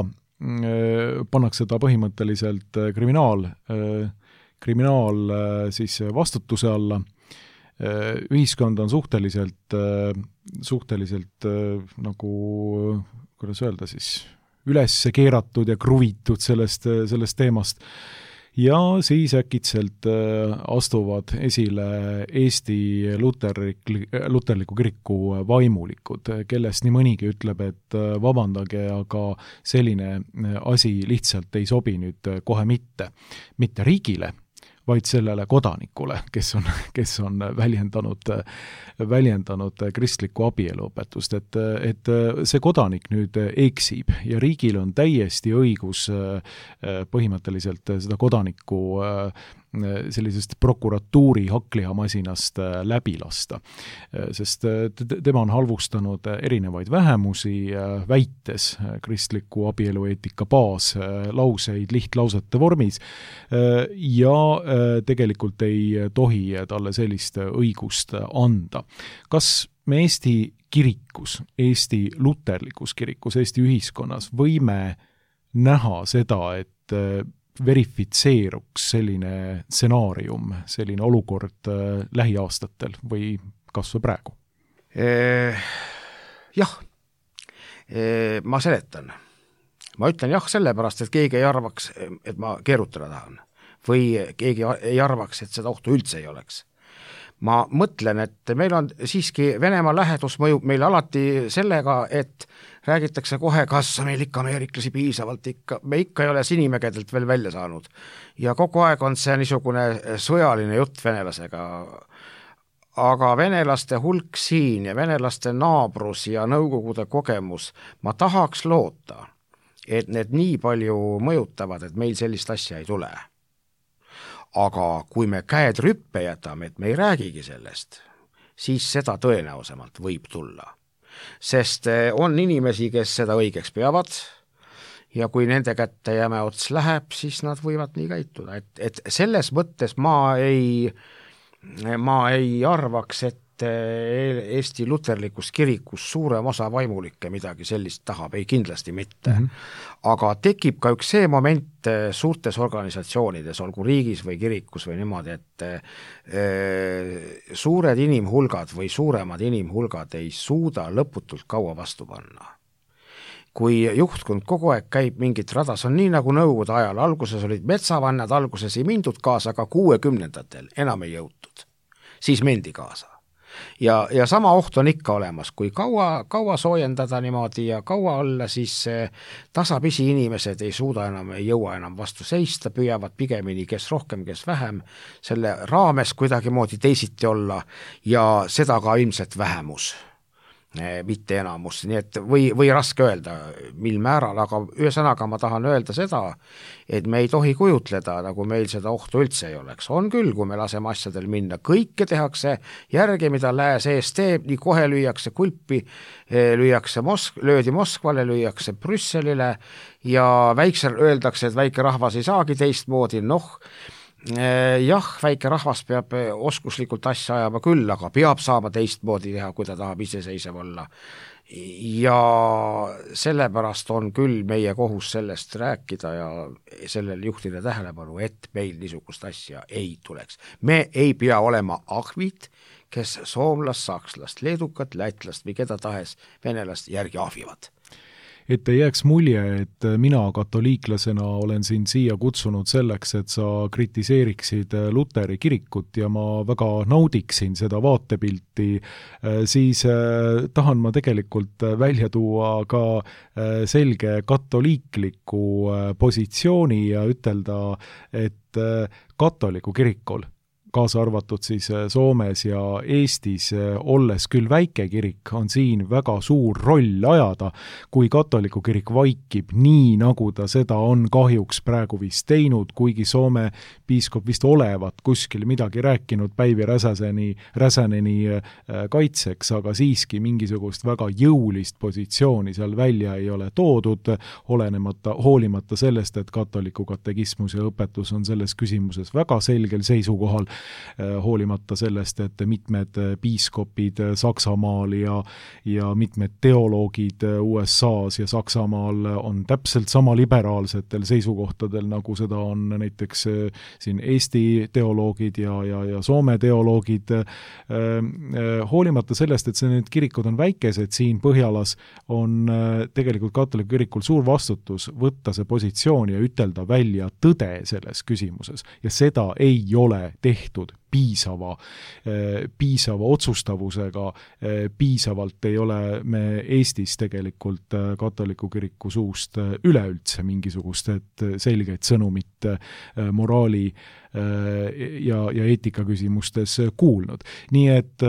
pannakse ta põhimõtteliselt kriminaal siis vastutuse alla. Ühiskond on suhteliselt nagu, kuidas öelda siis, üles keeratud ja kruvitud sellest teemast. Ja siis äkitselt astuvad esile Eesti luterliku kiriku vaimulikud, kellest nii mõnigi ütleb, et vabandage, aga selline asi lihtsalt ei sobi nüüd kohe mitte riigile, vaid sellele kodanikule, kes on väljendanud kristlikku abieluõpetust, et see kodanik nüüd eksib ja riigil on täiesti õigus põhimõtteliselt seda kodanikku sellisest prokuratuuri haklihamasinast läbi lasta. Sest tema on halvustanud erinevaid vähemusi, väites kristliku abielueetika baaslauseid lihtlausete vormis ja tegelikult ei tohi talle sellist õigust anda. Kas me Eesti kirikus, Eesti luterlikus kirikus, Eesti ühiskonnas võime näha seda, et verifitseeruks selline stsenaarium, selline olukord lähiaastatel või kas või praegu? Jah, ma seletan. Ma ütlen jah sellepärast, et keegi ei arvaks, et ma keerutada tahan või keegi ei arvaks, et seda ohtu üldse ei oleks. Ma mõtlen, et meil on siiski Venemaa lähedus mõjub meil alati sellega, et räägitakse kohe, kas meil ikka ameeriklasi piisavalt me ikka ei ole Sinimägedelt veel välja saanud. Ja kogu aeg on see niisugune sõjaline jutt venelasega. Aga venelaste hulk siin ja venelaste naabrus ja Nõukogude kogemus, ma tahaks loota, et need nii palju mõjutavad, et meil sellist asja ei tule. Aga kui me käed rüppe jätame, et me ei räägigi sellest, siis seda tõenäosemalt võib tulla. Sest on inimesi, kes seda õigeks peavad ja kui nende kätte jäme ots läheb, siis nad võivad nii käituda. Et selles mõttes ma ei arvaks, et Eesti luterlikus kirikus suurem osa vaimulikke midagi sellist tahab, ei kindlasti mitte. Aga tekib ka üks see moment suurtes organisatsioonides, olgu riigis või kirikus või niimoodi, et suured inimhulgad või suuremad inimhulgad ei suuda lõputult kaua vastu panna. Kui juhtkond kogu aeg käib mingit rada, see on nii nagu Nõukogude ajal, alguses olid metsavannad, alguses ei mindud kaasa, aga 60-ndatel enam ei jõutud, siis mendi kaasa. Ja sama oht on ikka olemas, kui kaua soojendada niimoodi ja kaua olla, siis tasapisi inimesed ei jõua enam vastu seista, püüavad pigemini kes rohkem, kes vähem, selle raames kuidagimoodi teisiti olla ja seda ka ilmselt vähemus, mitte enamus, nii et või raske öelda, mil määral, aga ühesõnaga ma tahan öelda seda, et me ei tohi kujutleda, nagu meil seda ohtu üldse ei oleks. On küll, kui me laseme asjadel minna, kõike tehakse järgi, mida lääs ees teeb, nii kohe lüüakse kulpi, löödi Moskvale, lüüakse Brüsselile ja väiksel öeldakse, et väike rahvas ei saagi teistmoodi, Jah, väike rahvas peab oskuslikult asja ajama küll, aga peab saama teistmoodi teha, kui ta tahab iseseisev olla. Ja sellepärast on küll meie kohus sellest rääkida ja sellel juhtida tähelepanu, et meil niisugust asja ei tuleks. Me ei pea olema ahvid, kes soomlast, sakslast, leedukat, lätlast või keda tahes venelast järgi ahvivad. Et ei jääks mulje, et mina katoliiklasena olen sind siia kutsunud selleks, et sa kritiseeriksid Luteri kirikut ja ma väga naudiksin seda vaatepilti, siis tahan ma tegelikult välja tuua ka selge katoliikliku positsiooni ja ütelda, et katoliku kirikul, kaasa arvatud siis Soomes ja Eestis, olles küll väike kirik, on siin väga suur roll ajada, kui katoliku kirik vaikib nii, nagu ta seda on kahjuks praegu vist teinud, kuigi Soome piiskop vist olevat kuskil midagi rääkinud Päivi Räsäneni kaitseks, aga siiski mingisugust väga jõulist positsiooni seal välja ei ole toodud, hoolimata sellest, et katoliku katekismus ja õpetus on selles küsimuses väga selgel seisukohal, hoolimata sellest, et mitmed piiskopid Saksamaal ja mitmed teoloogid USA-s ja Saksamaal on täpselt sama liberaalsetel seisukohtadel, nagu seda on näiteks siin Eesti teoloogid ja Soome teoloogid. Hoolimata sellest, et need kirikud on väikesed siin Põhjalas, on tegelikult katoliku kirikul suur vastutus võtta see positsioon ja ütelda välja tõde selles küsimuses. Ja seda ei ole tehtud piisava otsustavusega, piisavalt ei ole me Eestis tegelikult katoliku kiriku suust üleüldse mingisugust selgeid sõnumit moraali ja eetika küsimustes kuulnud. Nii et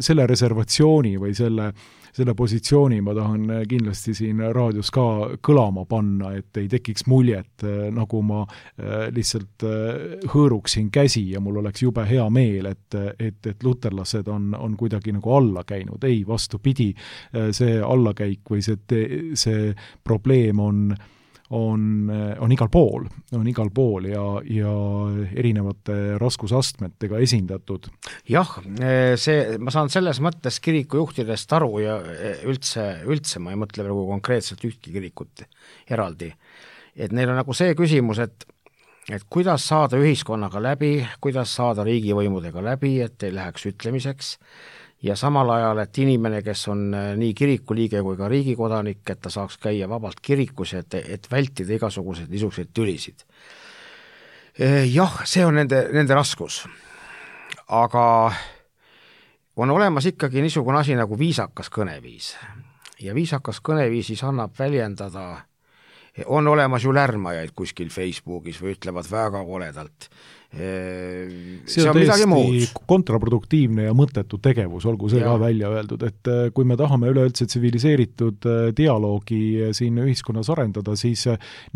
selle reservatsiooni või selle positsiooni ma tahan kindlasti siin raadios ka kõlama panna, et ei tekiks muljet, nagu ma lihtsalt hõõruksin käsi ja mul oleks jube hea meel, et luterlased on kuidagi nagu alla käinud. Ei, vastupidi, see allakäik või see probleem on igal pool ja erinevate raskusastmetega esindatud. Jah, ma saan selles mõttes kirikujuhtidest aru ja üldse ma ei mõtle nagu konkreetselt ühtki kirikut eraldi. Et neil on nagu see küsimus, et kuidas saada ühiskonnaga läbi, kuidas saada riigivõimudega läbi, et ei läheks ütlemiseks, ja samal ajal, et inimene, kes on nii kirikuliige kui ka riigikodanik, et ta saaks käia vabalt kirikus, et vältida igasuguseid niisuguseid tülisid. Jah, see on nende raskus. Aga on olemas ikkagi niisugune asi nagu viisakas kõneviis. Ja viisakas kõneviisis annab väljendada, on olemas ju lärmajaid kuskil Facebookis või ütlevad väga koledalt. See on täiesti kontraproduktiivne ja mõttetu tegevus, olgu see ka välja öeldud, et kui me tahame üleüldse tsiviliseeritud dialoogi siin ühiskonnas arendada, siis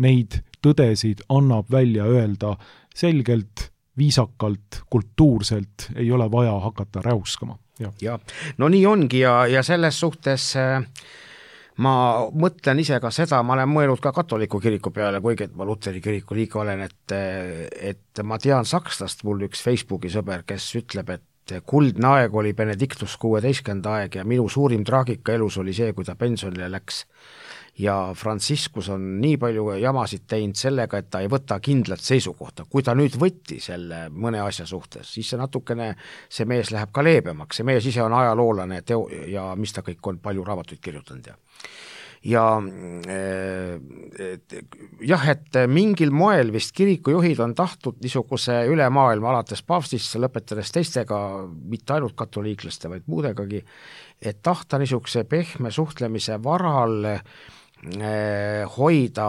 neid tõdesid annab välja öelda selgelt, viisakalt, kultuurselt, ei ole vaja hakata räuskama. Ja, no nii ongi ja selles suhtes ma mõtlen ise ka seda, ma olen mõelnud ka katoliku kiriku peale, kuigi et ma Luteri kiriku liige olen, et ma tean sakslast, mul üks Facebooki sõber, kes ütleb, et kuldne aeg oli Benedictus 16. aeg ja minu suurim traagika elus oli see, kui ta pensionile läks. Ja Franciscus on nii palju jamasid teinud sellega, et ta ei võta kindlat seisukohta. Kui ta nüüd võtti selle mõne asja suhtes, siis see mees läheb ka leebemaks. See mees ise on ajaloolane ja mis ta kõik on palju raamatuid kirjutanud. Ja et mingil moel vist kirikujuhid on tahtnud niisuguse üle maailma alates paavstist lõpetades teistega, mitte ainult katoliiklaste, vaid muudegagi, et tahta niisuguse pehme suhtlemise varal hoida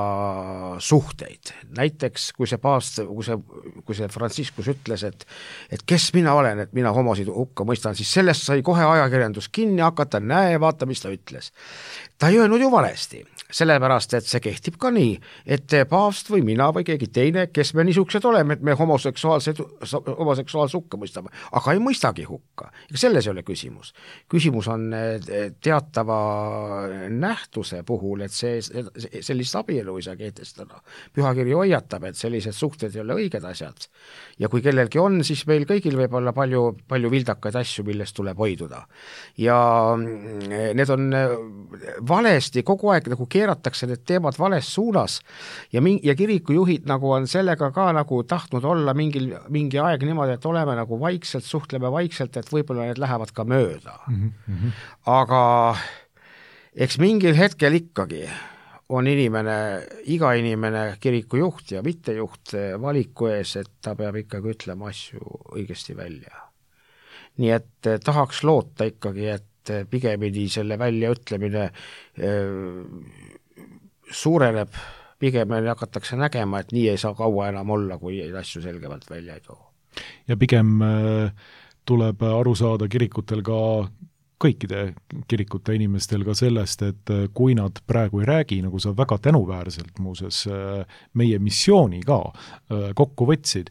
suhteid. Näiteks kui see Franciscus ütles, et kes mina olen, et mina homosid hukka mõistan, siis sellest sai kohe ajakirjandus kinni hakata, vaata, mis ta ütles. ta ei öelnud ju valesti, sellepärast, et see kehtib ka nii, et paavst või mina või keegi teine, kes me niisugused oleme, et me homoseksuaalse hukka mõistame, aga ei mõistagi hukka. Selles ei ole küsimus. Küsimus on teatava nähtuse puhul, et sellist abielu ei saa kehtestada. Pühakiri hoiatab, et sellised suhted ei ole õiged asjad. Ja kui kellelgi on, siis meil kõigil võib olla palju vildakaid asju, millest tuleb hoiduda. Ja need on valesti kogu aeg nagu keeratakse need teemad vales suunas ja kirikujuhid nagu on sellega ka nagu tahtnud olla mingi aeg niimoodi, et oleme nagu vaikselt, suhtleme vaikselt, et võib-olla need lähevad ka mööda. Aga eks mingil hetkel ikkagi on iga inimene kirikujuht ja mittejuht valiku ees, et ta peab ikkagi ütlema asju õigesti välja. Nii et tahaks loota ikkagi, et pigemini selle väljaütlemine suureneb, pigemini hakatakse nägema, et nii ei saa kaua enam olla, kui asju selgemalt välja ei too. Ja pigem tuleb aru saada kirikutel ka kõikide kirikute inimestel ka sellest, et kui nad praegu ei räägi, nagu sa väga tänuväärselt muuses meie missiooni ka kokku võtsid,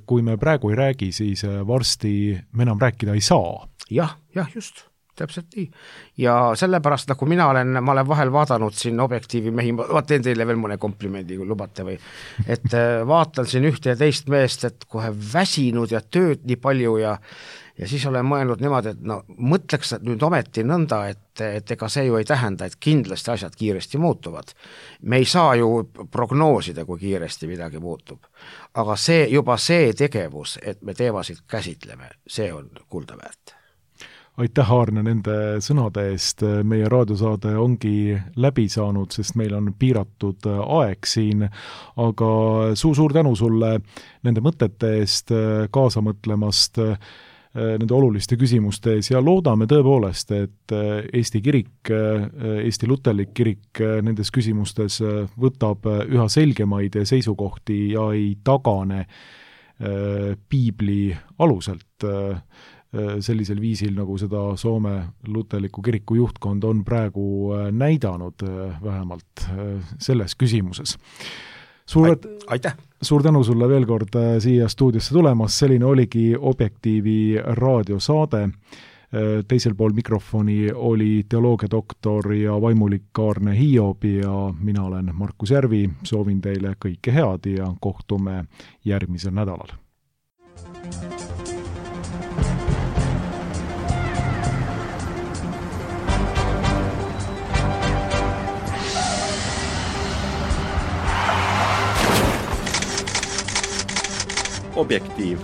kui me praegu ei räägi, siis varsti me enam rääkida ei saa. Jah, just. Täpselt nii. Ja sellepärast, nagu ma olen vahel vaadanud siin Objektiivi mehi, ma teen teile veel mõne komplimendi, kui lubate või, et vaatan siin ühte ja teist meest, et kohe väsinud ja tööd nii palju ja siis olen mõelnud niimoodi, et mõtleks nüüd ometi nõnda, et ega see ju ei tähenda, et kindlasti asjad kiiresti muutuvad. Me ei saa ju prognoosida, kui kiiresti midagi muutub. Aga juba see tegevus, et me teemasid käsitleme, see on kulda väärt. Aitäh, Aarne, nende sõnade eest. Meie raadiosaade ongi läbi saanud, sest meil on piiratud aeg siin, aga suur tänu sulle nende mõtete eest, kaasa mõtlemast, nende oluliste küsimuste ees ja loodame tõepoolest, et Eesti kirik, Eesti luterlik kirik nendes küsimustes võtab üha selgemaid seisukohti ja ei tagane piibli aluselt sellisel viisil, nagu seda Soome luterliku kiriku juhtkond on praegu näidanud vähemalt selles küsimuses. Aitäh! Suur tänu sulle veel kord siia stuudiosse tulemas, selline oligi Objektiivi raadiosaade. Teisel pool mikrofoni oli teoloogiadoktor ja vaimulik Aarne Hiob ja mina olen Markus Järvi, soovin teile kõike head ja kohtume järgmisel nädalal. Objektiiv.